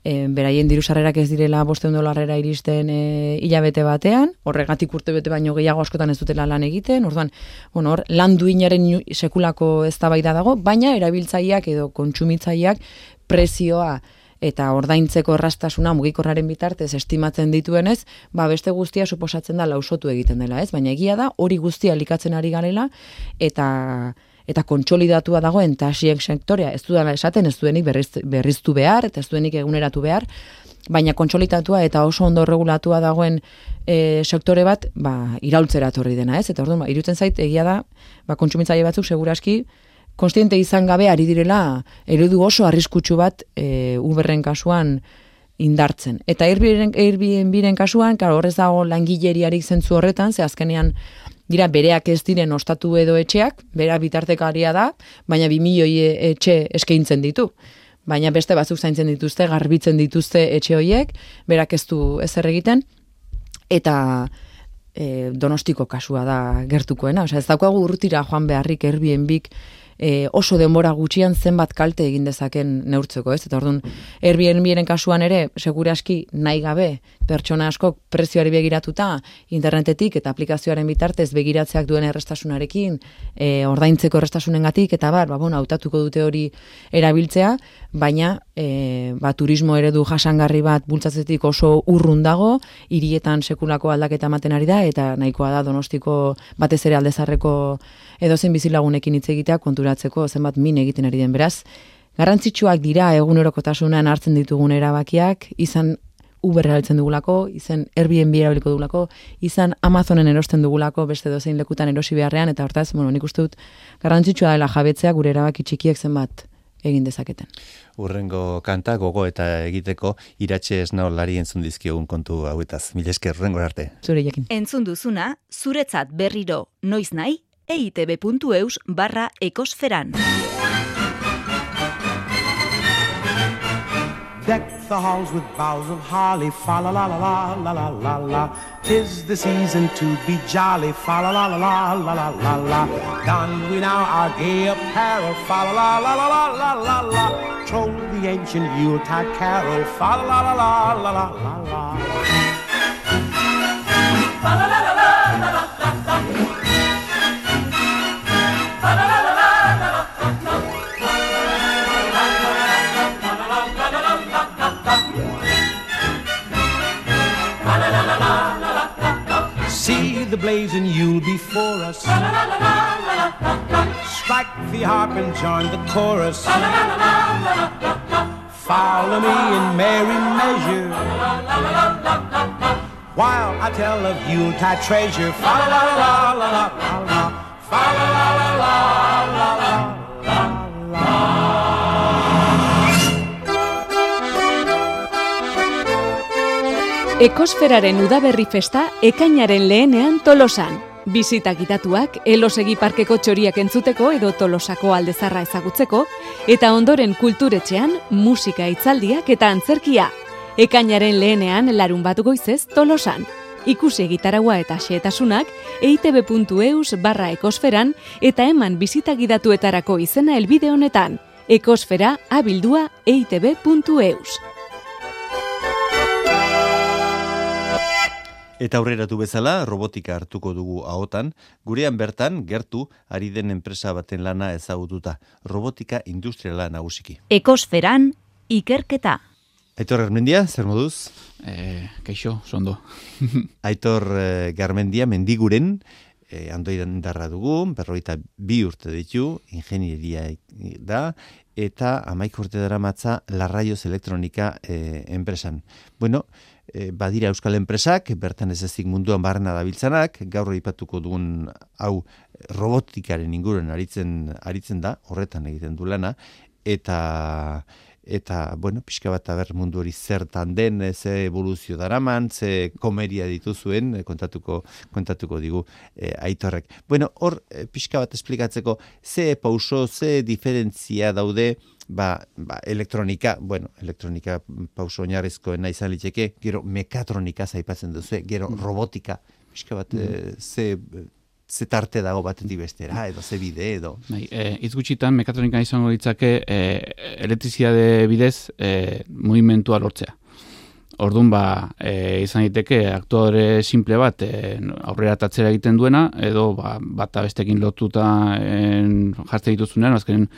e, beraien dirusarrerak ez direla bostehun dolarrera iristen e, hilabete batean, horregatik urte bete baino gehiago askotan ez dutela lan egiten, orduan, bueno, hor, lan duinaren sekulako eztabaida dago, baina erabiltzaileak edo kontsumitzaileak prezioa eta ordaintzeko erraztasuna mugikorraren bitartez estimatzen dituenez, ba beste guztia suposatzen da lausotu egiten dela, ez? Baina egia da hori guztia elikatzen ari garela eta eta kontsolidatua dagoen taxien sektorea ez dudala esaten, ez duenik berriz, berriztu behar eta ez duenik eguneratu behar, baina kontsolidatua eta oso ondo regulatua dagoen e, sektore bat, ba iraultzera etorri dena, ez? Eta orduan, ba, iruditzen zait egia da, ba kontsumitzaile batzuk segurazki konstiente izan gabe ari direla eredu oso arriskutsu bat e, Uberren kasuan indartzen. Eta Airbnbren kasuan, claro, horrez dago langileriarik zentzu horretan, ze azkenean dira bereak ez diren ostatu edo etxeak, bera bitartekaria da, baina bi milioi etxe eskaintzen ditu. Baina beste batzuk zaintzen dituzte, garbitzen dituzte etxe horiek, berak ez du ezer egiten, eta e, Donostiko kasua da gertukoena. Osea, ez daukagu urrutira joan beharrik Airbnbik E, oso denbora gutxian zenbat kalte egin dezaken neurtzeko, ez? Eta orduan, Airbnbren kasuan ere, seguraski nahi gabe, pertsona askok prezioari begiratuta, internetetik eta aplikazioaren bitartez begiratzeak duen errestasunarekin, e, ordaintzeko errestasunengatik, eta bar, ba, bueno, hautatuko dute hori erabiltzea, baina e, ba, turismo eredu jasangarri bat bultzatzetik oso urrun dago, hirietan sekulako aldaketa ematen ari da, eta nahikoa da Donostiko batez ere aldezarreko edozein bizilagunekin hitz egitea konturatzeko zenbat min egiten ari den. Beraz, garrantzitsuak dira egunerokotasunean hartzen ditugun erabakiak, izan Uber erabiltzen dugulako, izan Airbnb erabiliko dugulako, izan Amazonen erosten dugulako, beste dozein lekutan erosi beharrean, eta hortaz, bueno, nik uste dut garrantzitsua dela jabetzea gure erabaki txikiek zenbat egin dezaketen. Urrengo kanta gogo eta egiteko iratxe esnaolari entzun dizkiogun kontu hauetaz. Mila esker, urrengo arte. Zure jakin. Entzun duzuna, zuretzat berriro noiz nahi, eitb puntu eus barra ekosferan. Deck the halls with boughs of holly, fa la la la la la la la la. 'Tis the season to be jolly, fa la la la la la la la la. Don we now our gay apparel, fa la la la la la la la la. Troll the ancient Yuletide carol, fa la la la la la la la la. Fa la la la la la la la. Fa la la la la la la la. See the blazing Yule before us. Strike the harp and join the chorus. Follow me in merry measure while I tell of Yuletide treasure. Fa la la la la la la la. Fa la la la la la la la la. Ekosferaren udaberri festa ekainaren lehenean Tolosan. Bisita gidatuak, Elosegi parkeko txoriak entzuteko edo Tolosako aldezarra ezagutzeko, eta ondoren kulturetxean musika hitzaldiak eta antzerkia. Ekainaren lehenean larun bat goizez Tolosan. Ikusi egitaragua eta xehetasunak eitb puntu eus barra ekosferan eta eman bisita gidatuetarako izena helbide honetan. Ekosfera abildua eitb puntu eus. Eta aurreratu bezala, robotika hartuko dugu ahotan, gurean bertan, gertu, ari den enpresa baten lana ezagututa. Robotika industriala nagusiki. Ekosferan, ikerketa. Aitor Garmendia, zer moduz? E, kaixo, sondo. Aitor e, Garmendia, Mendiguren, e, andoidan darra dugu, berroita bi urte ditu, ingenieria da, eta amaik urte dara matza Larraios Elektronika e, enpresan. Bueno, E, badira euskal enpresak, bertan ez ezik munduan barrena dabiltzanak, gaur aipatuko dugun hau robotikaren inguruan aritzen, aritzen da, horretan egiten du lana, eta, eta bueno, pixka bat aber mundu hori zertan den, ze evoluzio daraman, ze komeria dituzuen, kontatuko, kontatuko digu e, Aitorrek. Bueno, hor e, pixka bat esplikatzeko, ze pauso, ze diferentzia daude, Ba, ba, elektronika, bueno, elektronika pauso oinarrizkoena izan litzeke, gero mekatronika zaipatzen duzu, gero robotika, pixka bat, mm. e, ze, ze tarte dago batetik bestera, edo ze bide, edo. Bai, e, hitz gutxitan mekatronika izango litzake e, elektrizitate bidez e, mugimentua lortzea. Orduan, ba, e, izan daiteke aktore simple bat e, aurrera tatzera egiten duena, edo ba, bata bestekin lotuta en, jartzen dituzunean, azkenen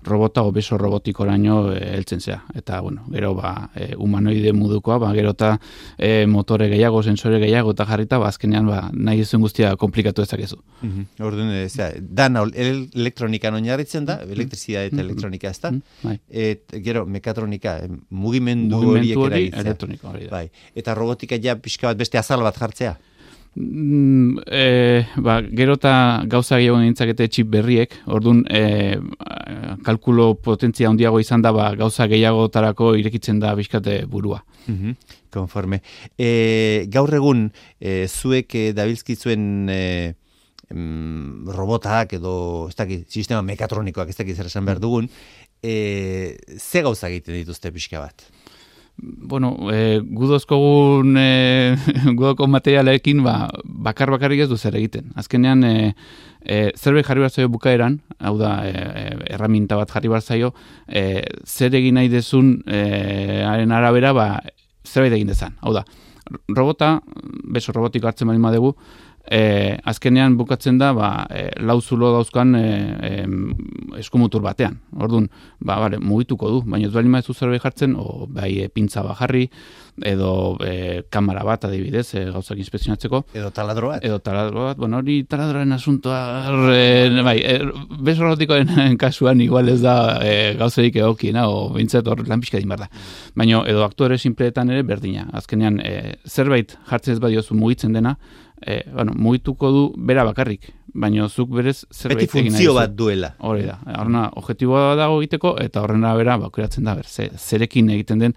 robota obeso robotikoraino heltzen zea. Eta, bueno, gero, ba, e, humanoide modukoa, ba, gero eta e, motore gehiago, sensore gehiago eta jarrita, ba, azkenean, ba, nahi ezuen guztia komplikatu ezakezu. Mm-hmm. Orduan, ez da, dana elektronikan oinarritzen da, elektrizia eta elektronika ez da, mm-hmm. et, gero, mekatronika, mugimendu horiek eragitzea. Elektronika hori da. Bai. Eta robotika ja pixka bat beste azal bat jartzea? Mm, e, ba, gero eta gauza gehiago nintzakete txip berriek, orduan e, kalkulo potentzia handiago izan da, ba, gauza gehiagotarako irekitzen da bizkate burua. Mm-hmm. Konforme. E, gaur egun, e, zuek e, dabilzkizuen e, mm, robotak edo ez dakit, sistema mekatronikoak ez dakit zer esan behar dugun, e, ze gauza egiten dituzte pixka bat? Bueno, e, gudozkogun e, gudoko materialekin ba, bakar bakarrik ez du zer egiten. Azkenean, e, e, zerbait jarri behar zaio bukaeran, hau da, e, erraminta bat jarri behar zaio, e, zer egin nahi dezun e, haren arabera, ba, zerbait egin dezan. Hau da, robota, beso robotiko hartzen bali madegu, e, azkenean bukatzen da, ba, e, lau zulo dauzkan e, e, eskumutur batean. Orduan, ba, bale, mugituko du, baina ez bali maezu zerbait jartzen, o bai e, pintza bat jarri, edo e, kamera bat adibidez, e, gauzak inspekzionatzeko. Edo taladro bat. Edo taladro bat, bueno, hori taladroaren asuntoa, e, bai, e, beso robotikoen kasuan igual ez da e, gauzerik egokiena, o bintzat hor lan pixka din behar da. Baina, edo aktore simpleetan ere berdina. Azkenean, e, zerbait jartzen ez badiozu mugitzen dena, E, bueno, mugituko du bera bakarrik, baina zuk berez zerbait egin nahi. Beti funtzio bat duela. Hori da, horrena objektiboa dago egiteko, eta horrena bera, bakuratzen da, ber, ze, zerekin egiten den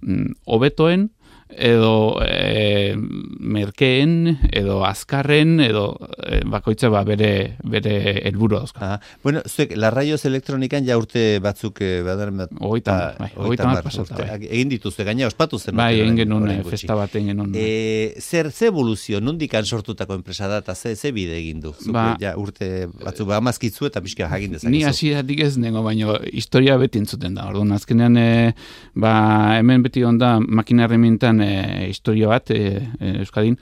mm, hobetoen edo e, merkeen, edo azkarren, edo e, bakoitza ba, bere bere helburu dauzka. Aha. Bueno, zuek, larraioz elektronikan ja urte batzuk eh, badaren bat... Hogeita bai, hogeita hamar pasata, bai. Egin dituzte, gaina ospatu zen. Bai, egin genuen, festa bat egin genuen. E, zer, ze evoluzio, nondikan sortutako enpresa da, eta ze, ze bide egin du? Zuke, Ba- ja, urte batzuk ba, amazkitzu eta pixka jakin dezakezu. Ni hasieratik ez nengo, baina historia beti entzuten da. Orduan, azkenean, e, ba, hemen beti onda makina herramientan e, historia bat e, e, Euskadin,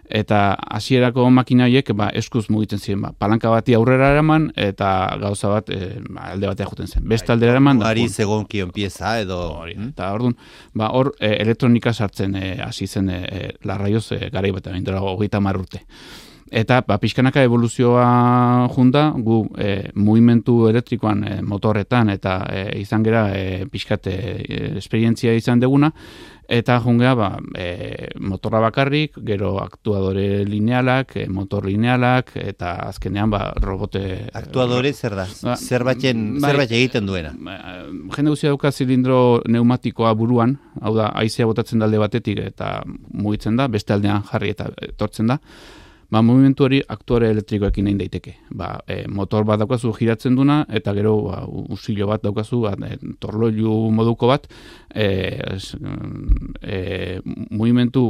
eta hasierako makina horiek ba, eskuz mugitzen ziren. Ba, palanka bati aurrera eraman, eta gauza bat e, ba, alde batea joten zen. Beste aldera eraman, da, Ari pun. zegonkion pieza edo... Hori, eta orduan, ba, hor e, elektronika sartzen e, hasi zen e, e, larraioz e, garai bat, baina hogeita hamar urte. Eta ba, pixkanaka evoluzioa junta, gu e, mugimendu elektrikoan e, motorretan eta e, izan gera e, pixkat e, esperientzia izan deguna, eta jungea ba, e, motorra bakarrik, gero aktuadore linealak, e, motor linealak, eta azkenean ba, robote... Aktuadore zer da? Ba, Zerbaiten, bai, zerbait egiten duena. Ba, jende guztia dauka zilindro pneumatikoa buruan, hau da, haizea botatzen da alde batetik eta mugitzen da, beste aldean jarri eta etortzen da. Ba, movimentu hori aktuare elektrikoekin egin daiteke. Ba, e, motor bat daukazu giratzen duna, eta gero ba, usilo bat daukazu, ba, e, torloilu moduko bat, e, es, e, movimentu,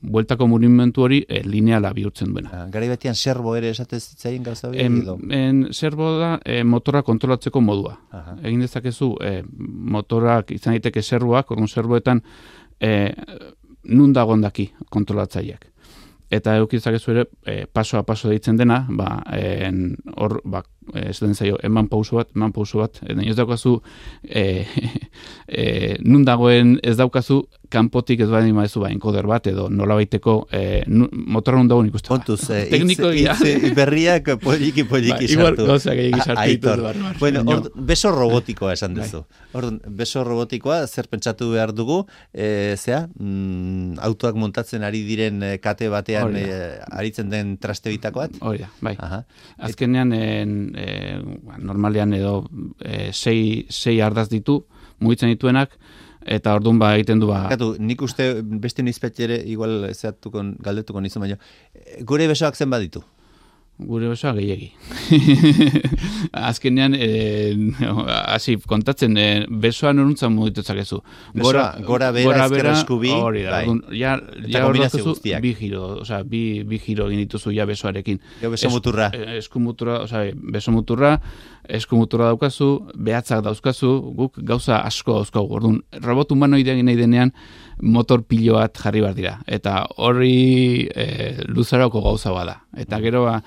bueltako movimentu hori e, lineala bihurtzen duena. Ah, garai batean serbo ere esatez zitzaien gauza hori En, edo? en serbo da e, motorra kontrolatzeko modua. Aha. Egin dezakezu e, motorak izan daiteke serboak, orduan serboetan e, nun dagoen daki kontrolatzaileak. Eta eukizakezu ere, e, paso a paso deitzen dena, ba, en, hor, ba, ez den zaio, eman pauso bat, eman pauso bat, eta ez daukazu, e, e, nun dagoen ez daukazu, kanpotik ez bada imadezu ba, enkoder bat, edo nola baiteko, e, motorra nun dagoen ikusten. Kontuz, eh, Tekniko hitz- gira. hitz berriak poliki poliki Ba, igual sartu. gauza gehiagi A- sartu Aitor. ditut, barbar. Bueno, Baina- ord, beso robotikoa esan duzu. Orduan, beso robotikoa, zer pentsatu behar dugu, e, zea, mm, autoak montatzen ari diren eh, kate batean Hori da. eh, aritzen den traste bitako bat? Hori da, bai. Aha. Azkenean, en, e, normalean edo e, sei, sei ardaz ditu, mugitzen dituenak, eta orduan ba egiten du ba... Katu, nik uste beste nizpetxe ere, igual zeatuko, galdetuko nizu, baina, eh, gure besoak zen baditu? Gure besoa gehiegi. Azkenean, e, hasi kontatzen, e, besoa noruntzan mugitu zakezu. Besoa, gora bera, ezker eskubi, hori da, bai. orduan, ja, Eta ja hor kombinazio daukazu guztiak. bi giro, osea, bi, bi giro egin dituzu ja besoarekin. Gero beso muturra. Es, eskumuturra, osea, beso muturra, eskumuturra daukazu, behatzak dauzkazu, guk gauza asko dauzkagu. Orduan, robot humanoidea egin nahi denean, motor pilo bat jarri behar dira. Eta hori e, luzarako gauza bada. Eta gero ba,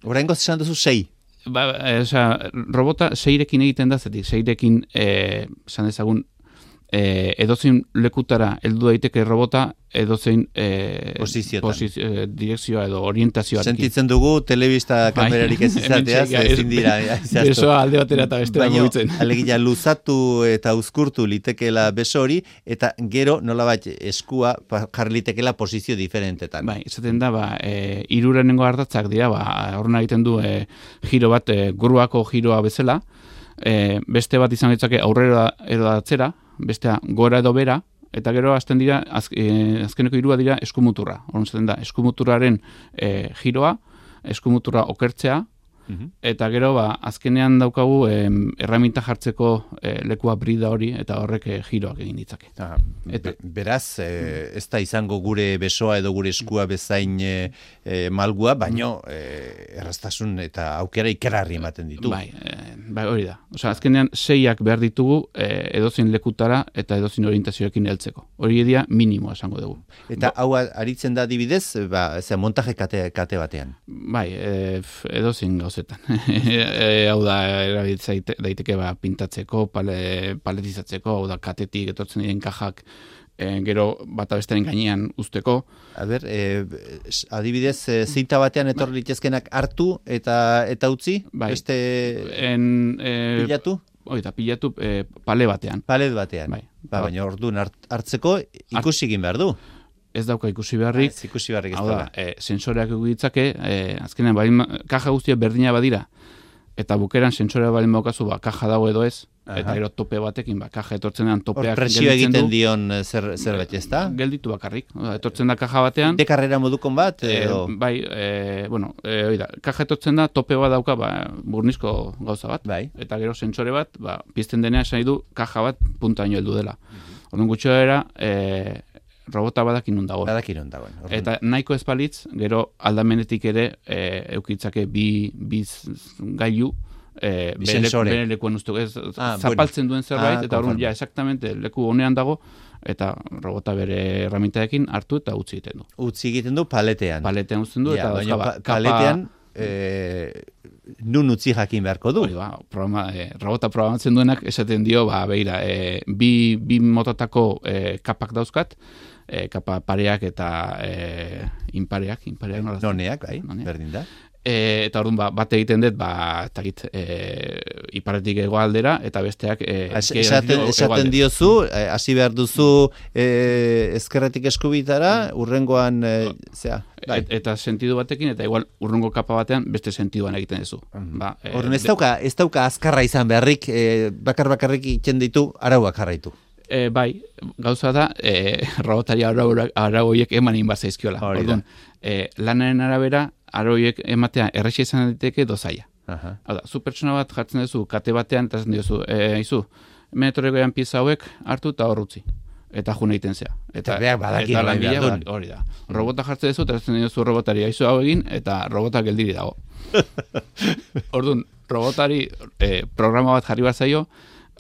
Oraingoz esan duzu sei. ba, e, osea, robota seirekin egiten da, zetik, seirekin, e, esan dezagun, e, edozein lekutara heldu daiteke robota, edozein e, Posiziotan. posiz- e, direkzioa edo orientazioarekin. Sentitzen dugu, telebista kamerarik ez izateaz, Hementxe, ezin dira. zehaztu. Besoa alde batera eta bestera Baina, mugitzen. alegia luzatu eta uzkurtu litekeela beso hori, eta gero nolabait eskua pa- jarri litekeela posizio diferentetan. Bai, esaten da, ba, e, irurenengo ardatzak dira, ba, horren egiten du e, giro bat, e, guruako giroa bezala, e, beste bat izan ditzake aurrera edo atzera, bestea gora edo bera, eta gero hasten dira, az, e, azkeneko hirua dira eskumuturra. Horren esaten da, eskumuturraren e, giroa, eskumuturra okertzea, Mhm. eta gero, ba, azkenean daukagu em, erraminta jartzeko e, lekua brida hori, eta horrek e, giroak egin ditzake. Ah, Eta- be- beraz, eh, ez da izango gure besoa edo gure eskua bezain eh, eh, malgua, baino eh, erraztasun eta aukera ikerarri ematen ditu. Bai, e, bai, hori da. Osea, azkenean seiak behar ditugu e, edozein lekutara eta edozein orientazioekin heltzeko. Hori edia minimoa esango dugu. Eta hau aritzen da adibidez, ba, ze montaje kate, kate batean. Bai, e, f- edozein gauzetan. e, hau da, erabiltza daiteke ba, pintatzeko, pale, paletizatzeko, hau da, katetik etortzen diren kajak e, gero bata besteren gainean usteko. A ber, eh, adibidez, eh, zinta batean etor litezkenak hartu eta eta utzi, Bai. beste En, e, pilatu, Hori da, pilatu e, pale batean. palet batean. Bai. Ba, baina orduan hart, hartzeko ikusi egin behar du. Ez dauka ikusi beharrik, Ez ikusi beharrik ez hau da, da. e, sensoreak egu ditzake, e, azkenean, bai, kaja guztia berdina badira, eta bukeran sentsorea balen baukazu, ba, kaja dago edo ez, Aha. eta gero tope batekin, ba, kaja etortzen dean topeak Hor presio egiten dion zer, zerbait ez da? Gelditu bakarrik. Etortzen da kaja batean. De karrera modukon bat? Edo? E, bai, e, bueno, e, oida, kaja etortzen da, tope bat dauka, ba, burnizko gauza bat. Bai. Eta gero sentsore bat, ba, pizten denean esan du kaja bat puntaino heldu dela. Mm-hmm. Orduan gutxo era, e, robota badakin nun dagoen. Badakin nun dagoen. Eta nahiko espalitz, gero aldamenetik ere e, eukitzake bi, bi gailu, E, bere, bere lekuan uste, ez, ah, zapaltzen bueno. duen zerbait, ah, eta horren, ja, exactamente, leku honean dago, eta robota bere herramientaekin hartu eta utzi egiten du. Utzi egiten du paletean. Paletean uzten du, ja, eta baina, ba, pa, paletean, e, nun utzi jakin beharko du. Ba, programa, e, robota programatzen duenak esaten dio, ba, beira, e, bi, bi mototako e, kapak dauzkat, e, kapa pareak eta e, inpareak, inpareak nola. Noneak, bai, berdin da. E, eta orduan ba, bat egiten dut, ba, eta git, e, iparetik egoaldera, eta besteak e, esaten, esaten diozu, hasi behar duzu e, ezkerretik eskubitara, urrengoan, e, zera, bai. Et, eta sentidu batekin, eta igual urrengo kapa batean, beste sentiduan egiten duzu. Mm-hmm. Ba, e, Orduan, ez dauka, ez dauka azkarra izan beharrik, e, bakar bakarrik itzen ditu, arauak jarraitu. E, bai, gauza da, e, robotari arauiek eman inbat zaizkiola. Orduan, e, lanaren arabera, aroiek ematea errexia izan daiteke dozaia. Hau da, zu pertsona bat jartzen duzu kate batean, eta zen diozu, e, izu, menetorregoean pieza hauek hartu eta horrutzi. Eta june egiten zea. Eta, eta badakin eta lanbila hori da. Robota jartzen duzu, eta zen diozu robotari aizu hau egin, eta robota geldiri dago. Orduan, robotari e, programa bat jarri bat zaio,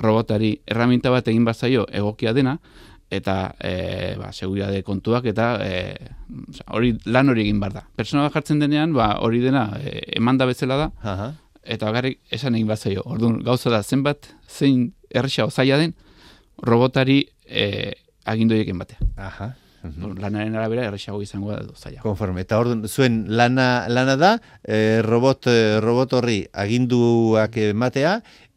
robotari erraminta bat egin bat zaio egokia dena, eta e, ba, seguridade kontuak eta e, hori lan hori egin behar da. Persona bat jartzen denean, ba, hori dena e, eman da bezala da, Aha. eta bakarrik esan egin bat zaio. Orduan, gauza da, zenbat, zein erresa ozaia den, robotari e, agindoiek batea. Aha. Uh-huh. Lanaren arabera erresago izango da zaila. Konforme. Eta orduan, zuen lana, lana da, e, robot, robot horri aginduak ematea,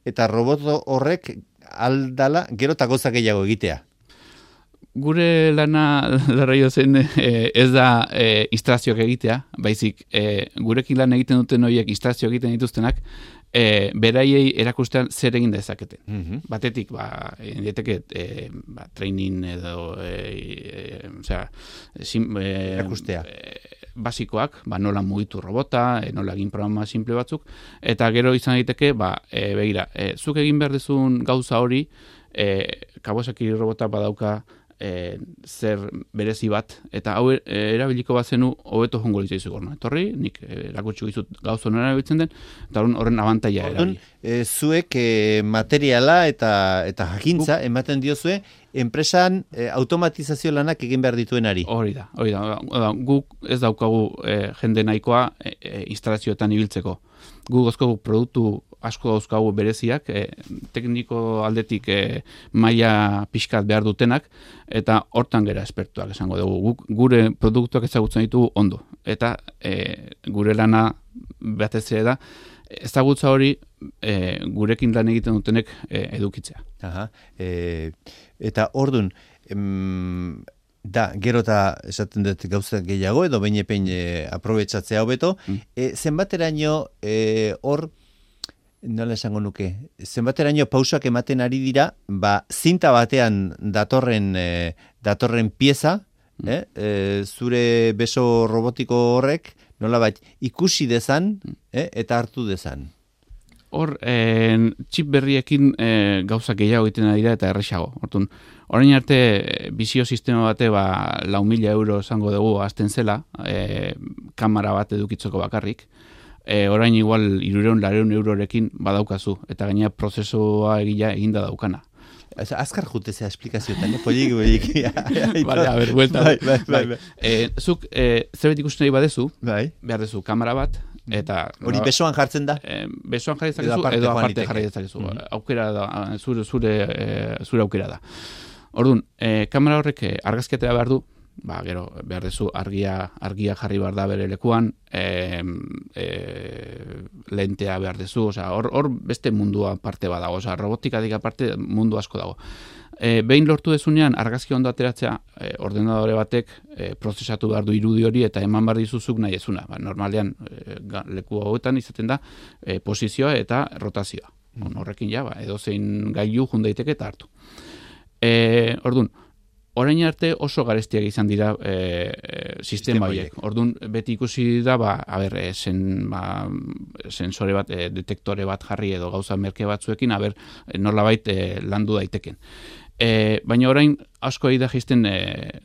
eta robot horrek aldala gero eta gauza gehiago egitea. Gure lana larraio zen e, ez da e, instalazioak egitea, baizik e, gurekin lan egiten duten horiek instalazio egiten dituztenak, e, beraiei erakustean zer egin dezaketen. Mm-hmm. Batetik, ba, dieteke e, ba, training edo e, e, osea, sim, e, erakustea. E, basikoak, ba, nola mugitu robota, e, nola egin programa simple batzuk, eta gero izan daiteke, ba, e, begira, e, zuk egin behar dezun gauza hori, e, Kawasaki robota badauka E, zer berezi bat, eta hau e, erabiliko bat zenu hobeto jongo litzai zugorna. Etorri, nik erakutsi gizut gauzo nora erabiltzen den, eta horren abantaia erabili. E, zuek e, materiala eta eta jakintza Guk, ematen diozue, enpresan e, automatizazio lanak egin behar dituenari. Hori da, hori da. Guk ez daukagu e, jende nahikoa e, e, instalazioetan ibiltzeko. Guk gozkogu produktu asko dauzkagu bereziak, e, tekniko aldetik e, maila pixkat behar dutenak, eta hortan gera espertuak esango dugu. Guk, gure produktuak ezagutzen ditugu ondo. Eta e, gure lana batez ere da, ezagutza hori e, gurekin lan egiten dutenek e, edukitzea. Aha. E, eta ordun, em, da, gero eta esaten dut gauza gehiago, edo behin epein e, aprobetsatzea hobeto, mm. e, zenbateraino hor, e, nola esango nuke, zenbateraino pausak ematen ari dira, ba, zinta batean datorren, e, datorren pieza, mm. eh? e, zure beso robotiko horrek, nola bat, ikusi dezan, eh? eta hartu dezan. Hor, eh, txip berriekin eh, gauza gehiago egiten dira eta erresago. Hortun, orain arte, bizio sistema bate, ba, lau mila euro esango dugu azten zela, eh, kamera bat edukitzeko bakarrik. E, orain igual irureun, lareun eurorekin badaukazu, eta gainera prozesua egila eginda daukana. Azkar jutezea esplikazioetan, eh? Polik, polik. Vale, a ver, vuelta. Bai, bai, bai, bai. E, zuk, e, zerbait ikusten nahi badezu, bai. behar dezu kamera bat, eta... Hori besoan jartzen da? E, besoan jarri dezakezu, edo aparte jarri dezakezu. Mm-hmm. Aukera da, zure, zure, e, zure aukera da. Orduan, e, kamera horrek argazkiatea behar du, ba, gero, behar dezu argia, argia jarri behar da bere lekuan, e, e, lentea behar dezu, osea, hor, hor beste mundua parte badago, osea, robotikatik aparte mundu asko dago. E, behin lortu dezunean, argazki ondo ateratzea, e, ordenadore batek e, prozesatu behar du irudi hori eta eman behar dizuzuk nahi ezuna. Ba, normalean, e, leku hauetan izaten da e, posizioa eta rotazioa. Mm. Horrekin ja, ba, edozein gailu jun daiteke eta hartu. E, Orduan, orain arte oso garestiak izan dira e, e, sistema horiek. Orduan, beti ikusi da, ba, a ber, e, sen, ba, sensore bat, e, detektore bat jarri edo gauza merke batzuekin, a ber, e, nolabait e, landu daiteken. E, baina orain asko da jisten e,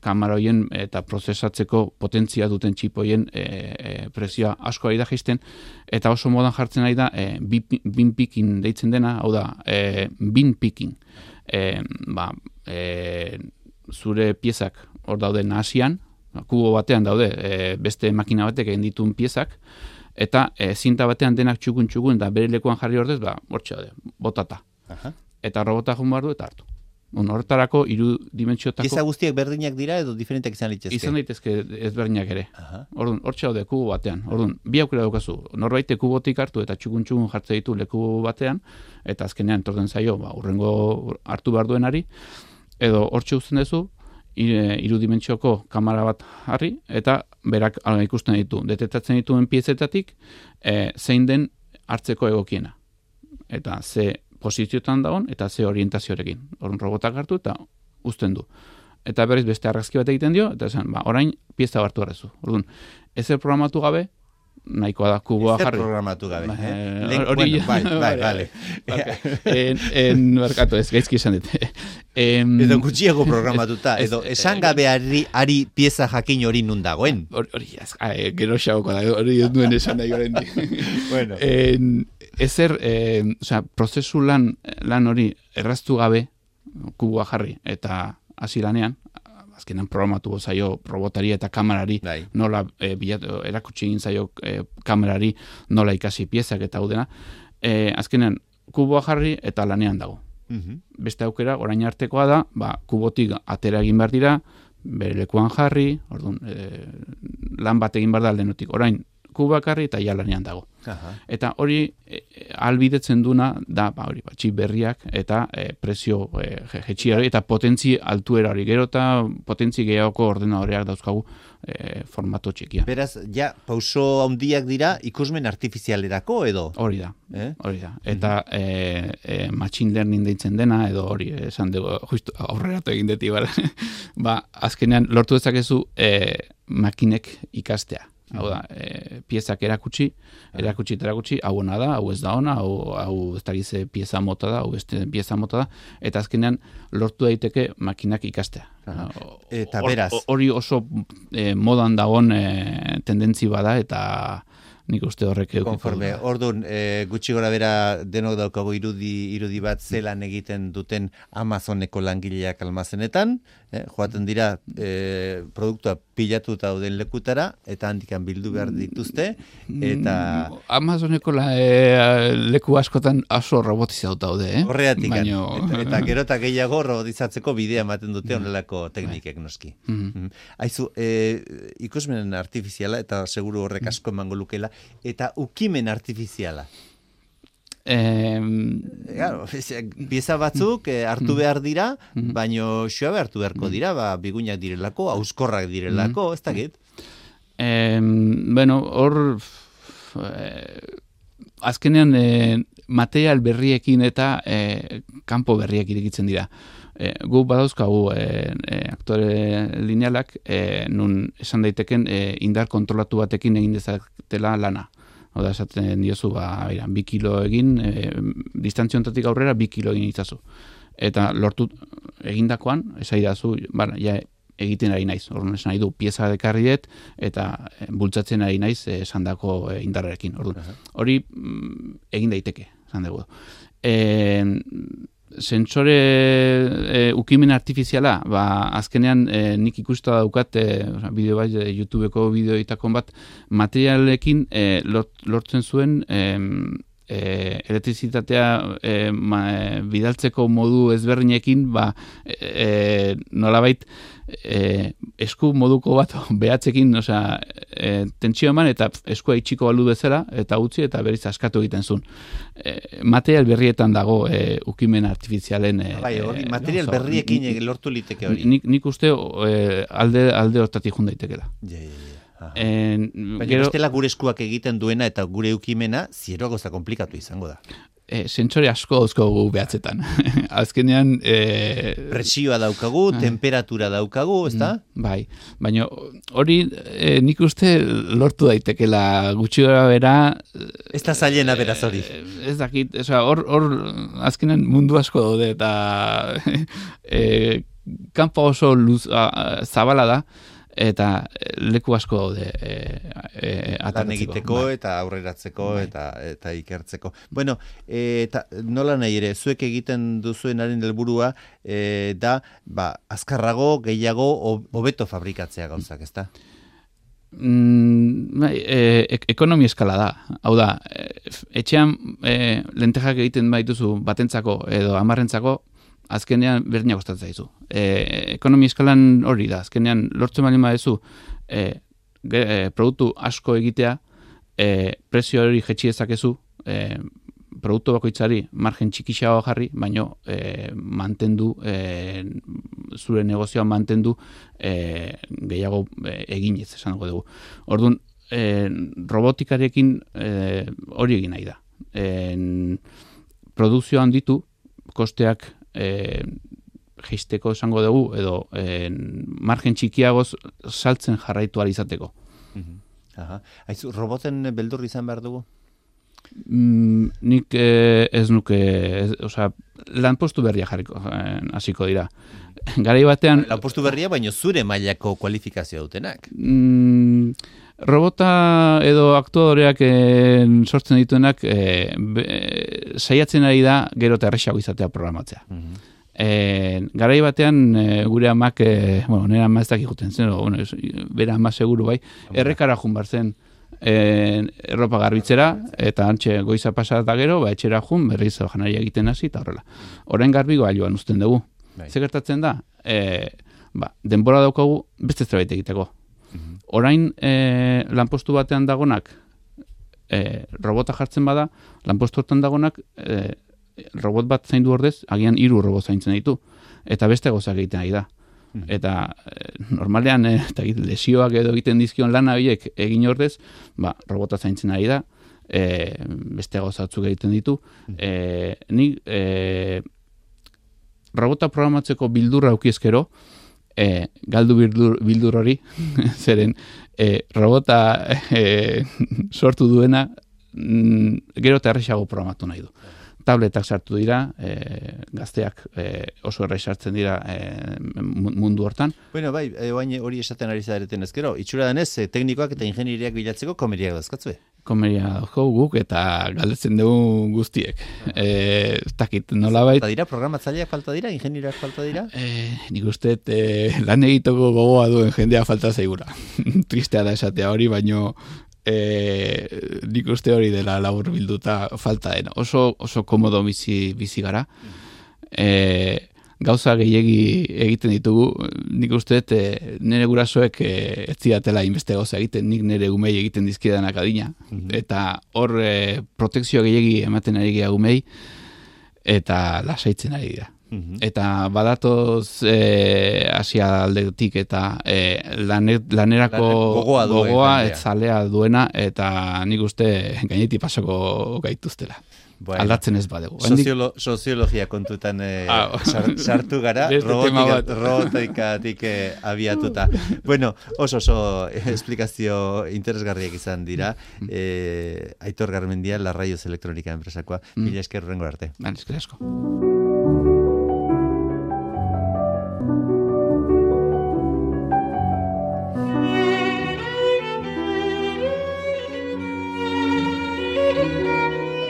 kamera hoien eta prozesatzeko potentzia duten txip hoien e, e, prezioa asko da jisten eta oso modan jartzen ari da e, bin picking deitzen dena, hau da, e, bin picking. E, ba, e, zure piezak hor daude nahasian, kubo batean daude e, beste makina batek egin dituen piezak, eta e, zinta batean denak txukun-txukun eta bere lekuan jarri ordez, ba, hortxe daude, botata. Aha. Eta robota jun behar du eta hartu. Horretarako hiru dimentsiotako... Pieza guztiak berdinak dira edo diferenteak izan litezke? Izan daitezke ezberdinak ere. Orduan, hortxe daude kubo batean. Orduan, bi aukera daukazu. Norbaite kubotik hartu eta txukun-txukun jartze ditu leku batean, eta azkenean torten zaio, ba, urrengo hartu behar duenari, edo hortxe uzten duzu, hiru dimentsioko kamera bat jarri, eta berak ikusten ditu. Detektatzen dituen piezetatik, e, zein den hartzeko egokiena. Eta ze posizioetan dagoen eta ze orientazioarekin. Orduan robotak hartu eta uzten du. Eta berriz beste argazki bat egiten dio, eta esan, ba, orain pieza hartu harrezu. Orduan, ezer programatu gabe, nahikoa da kuboa jarri. Ezer programatu gabe. Ba, eh? eh, hori, bueno, bai, bai, bale. En, en, merkatu, ez, gaizki esan dut. Em, edo gutxiago programatuta, edo esan gabe ari, ari pieza jakin hori nun dagoen. Hori, gero xaukko da, hori ez duen esan nahi horrein. Bueno. En, ezer, eh, osea, prozesu lan, lan hori erraztu gabe kuboa jarri eta hasi lanean, azkenan programatu zaio robotari eta kamerari, bai. Nola e, bilatu, erakutsi egin zaio e, kamerari nola ikasi piezak eta hau dena, e, azkenan kuboa jarri eta lanean dago. Mm-hmm. Beste aukera, orain artekoa da, ba, kubotik atera egin behar dira, bere lekuan jarri, orduan, e, lan bat egin behar da aldenotik. Orain, kuboak jarri eta ja lanean dago. Aha. Eta hori e, albidetzen duna da, ba, hori, ba, txip berriak eta e, prezio e, jetxiari eta potentzi altuera hori. Gero eta potentzi gehiagoko ordenadoreak dauzkagu e, formato txikia. Beraz, ja, pauso handiak dira ikusmen artifizialerako edo? Hori da, eh? hori da. Eta mm-hmm. e, e, machine learning deitzen dena, edo hori, esan dugu, justu aurreratu egin deti, ba, azkenean lortu dezakezu e, makinek ikastea. Hau da, e, piezak erakutsi, erakutsi eta erakutsi, hau ona da, hau ez da ona, hau, hau ez da gize pieza mota da, hau beste pieza mota da, eta azkenean lortu daiteke makinak ikastea. Eta beraz. Hori oso e, modan dagoen e, tendentzi bada, eta nik uste horrek eukiko. Konforme, orduan, e, gutxi gora bera denok daukago irudi, irudi bat zelan egiten duten Amazoneko langileak almazenetan, eh, joaten dira e, produktua pilatuta dauden lekutara, eta handikan bildu behar dituzte, eta... Amazoneko la, e, leku askotan oso robotizatuta daude, eh? Horreatik, Baino... eta, eta gero eta gehiago robotizatzeko bidea ematen dute honelako teknikek noski. Mm-hmm. Aizu, e, ikusmen artifiziala, eta seguru horrek asko emango lukela, eta ukimen artifiziala. Eh, claro, pieza batzuk eh, hartu behar dira, baino xoabe hartu beharko dira, ba, biguinak direlako, auskorrak direlako, ez dakit? Eh, bueno, hor eh, azkenean eh, material berriekin eta eh, kanpo berriak irekitzen dira. Eh, gu badauzkagu eh, eh, aktore linealak eh, nun esan daiteken eh, indar kontrolatu batekin egin dezatela lana. Oda esaten diozu, ba, ira, bi kilo egin, e, distantziontatik aurrera bi kilo egin itzazu. Eta lortu egindakoan, esaidazu, bara, ja, egiten ari naiz. Orduan esan nahi du, pieza dekarriet, eta e, bultzatzen ari naiz esandako e, indarrarekin. Orduan, hori mm, egin daiteke, esan dugu. E, Sentsore e, ukimen artifiziala, ba, azkenean e, nik ikusta daukat e, bideo bat, e, YouTubeko bideoitakon bat materialekin e, lot, lortzen zuen e, e, elektrizitatea e, ma, e, bidaltzeko modu ezberdinekin, ba, e, nolabait e, esku moduko bat behatzekin, osea, e, tentsio eman eta eskua itxiko balu bezala, eta utzi eta berriz askatu egiten zuen. E, material berrietan dago e, ukimen artifizialen... E, bai, hori, material no, berriekin ni, lortu liteke hori. Nik, nik uste e, alde, alde hortatik jun daitekela. Ja, ja, ja. En, Baina gero, bestela gure eskuak egiten duena eta gure ukimena zieroa goza komplikatu izango da. E, sentsore asko dauzkagu behatzetan. Azkenean... E, presioa daukagu, e, temperatura daukagu, ezta? Bai, baina hori e, nik uste lortu daitekela gutxi gara bera... Ez da zailena beraz hori. E, ez dakit, hor, hor azkenean mundu asko daude eta e, kanpa oso luz, a, a, zabala da, eta leku asko daude e, e, lan egiteko bai. Eta aurreratzeko bai. eta eta ikertzeko. Bueno, e, eta nola nahi ere, zuek egiten duzuenaren helburua e, da, ba, azkarrago, gehiago, hobeto fabrikatzea gauzak, ezta? Mm, e, ekonomi eskala da. Hau da, etxean e, lentejak egiten baituzu batentzako edo hamarrentzako, azkenean berdina kostatzen zaizu. E, ekonomi eskalan hori da, azkenean lortzen bali baduzu e, e, produktu asko egitea, e, prezio hori jetxi dezakezu, e, produktu bakoitzari margen txikixago jarri, baino e, mantendu, e, zure negozioa mantendu e, gehiago e, eginez, esango dugu. Orduan, e, robotikarekin e, hori egin nahi da. E, produkzioan ditu, kosteak E, geisteko esango dugu edo e, margen txikiagoz saltzen jarraitu alizateko. Mm-hmm. Aha. Aizu, roboten beldur izan behar dugu? Mm, nik e, ez nuke, ez, osea, lanpostu berria jarriko, hasiko dira. Garai batean... Lanpostu berria, baino zure mailako kualifikazioa dutenak. Mm, robota edo aktuadoreak e, sortzen dituenak e, be, saiatzen ari da gero eta erresago izatea programatzea. Mm-hmm. E, garai batean e, gure amak, e, bueno, nire ama ez dakik juten zen, o, bueno, bera ama seguru bai, errekara jun bar zen e, erropa garbitzera, eta antxe goiza pasat da gero, ba, etxera jun, berriz janaria egiten hasi eta horrela. Orain garbi gailuan uzten dugu. Zer gertatzen da? E, ba, denbora daukagu beste zerbait egiteko. Orain e, lanpostu batean dagonak e, robota jartzen bada, lanpostu hortan dagonak e, robot bat zaindu ordez, agian hiru robot zaintzen ditu, eta beste gozak egiten ari da. Mm. Eta e, normalean e, eta lesioak edo egiten dizkion lana horiek egin ordez, ba, robota zaintzen ari da, e, beste gozatzuk egiten ditu. Mm. E, ni e, robota programatzeko bildurra aukiezkero, E, galdu bildur, bildur hori, zeren e, robota e, sortu duena mm, gero eta erresago programatu nahi du. Tabletak sartu dira, e, gazteak e, oso errex sartzen dira e, mundu hortan. Bueno, bai, e, hori esaten ari zareten ezkero, itxura denez, e, teknikoak eta ingenieriak bilatzeko komeriak dazkatzue? Komeria dauzko guk eta galdetzen dugu guztiek. E, takit, nolabait... Falta dira, programatzaileak falta dira, ingenieriak falta dira? E, nik uste e, lan egitoko gogoa duen jendea falta zaigura. Tristea da esatea hori, baino e, nik uste hori dela labur bilduta falta dena. Oso, oso komodo bizi, bizi gara. E, gauza gehiegi egiten ditugu, nik uste e, nire gurasoek e, ez zidatela inbeste gauza egiten, nik nire umei egiten dizkidanak adina. Mm-hmm. Eta hor e, protekzio gehiegi ematen ari gehiago umei, eta lasaitzen ari dira. Mm-hmm. Eta badatoz e, Asia aldetik eta e, laner, lanerako gogoa, gogoa etzalea duena, eta nik uste gainetik pasako gaituztela. Bueno, aldatzen ez badegu. Soziolo, soziologia kontutan eh, ah, sartu gara, robotika, robotikatik eh, abiatuta. Bueno, oso oso esplikazio interesgarriak izan dira. Eh, Aitor Garmendia, La Rayos Elektronika enpresakoa. Mm. Mila esker urrengo arte. Ban, esker asko.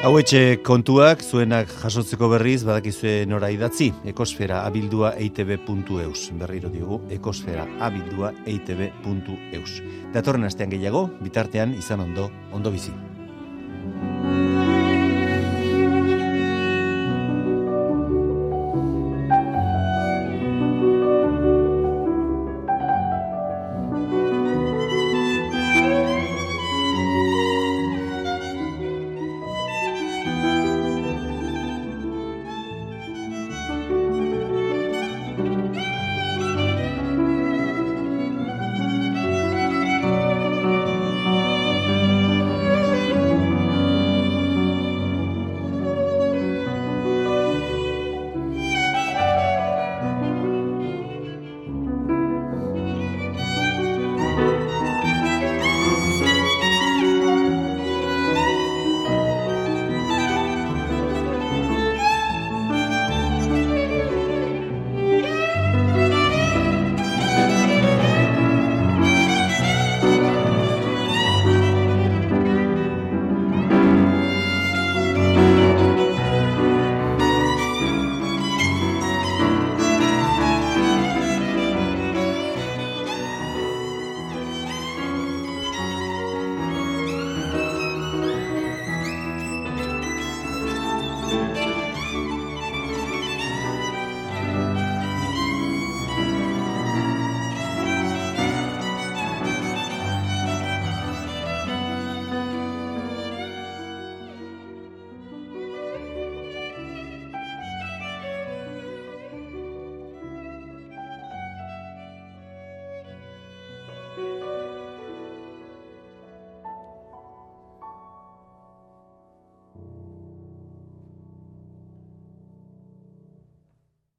Hauetxe kontuak, zuenak jasotzeko berriz, badakizue nora idatzi, ekosfera abildua eitb puntu eus. Berriro diogu, ekosfera abildua eitb puntu eus. Datorren astean gehiago, bitartean izan ondo, ondo bizi.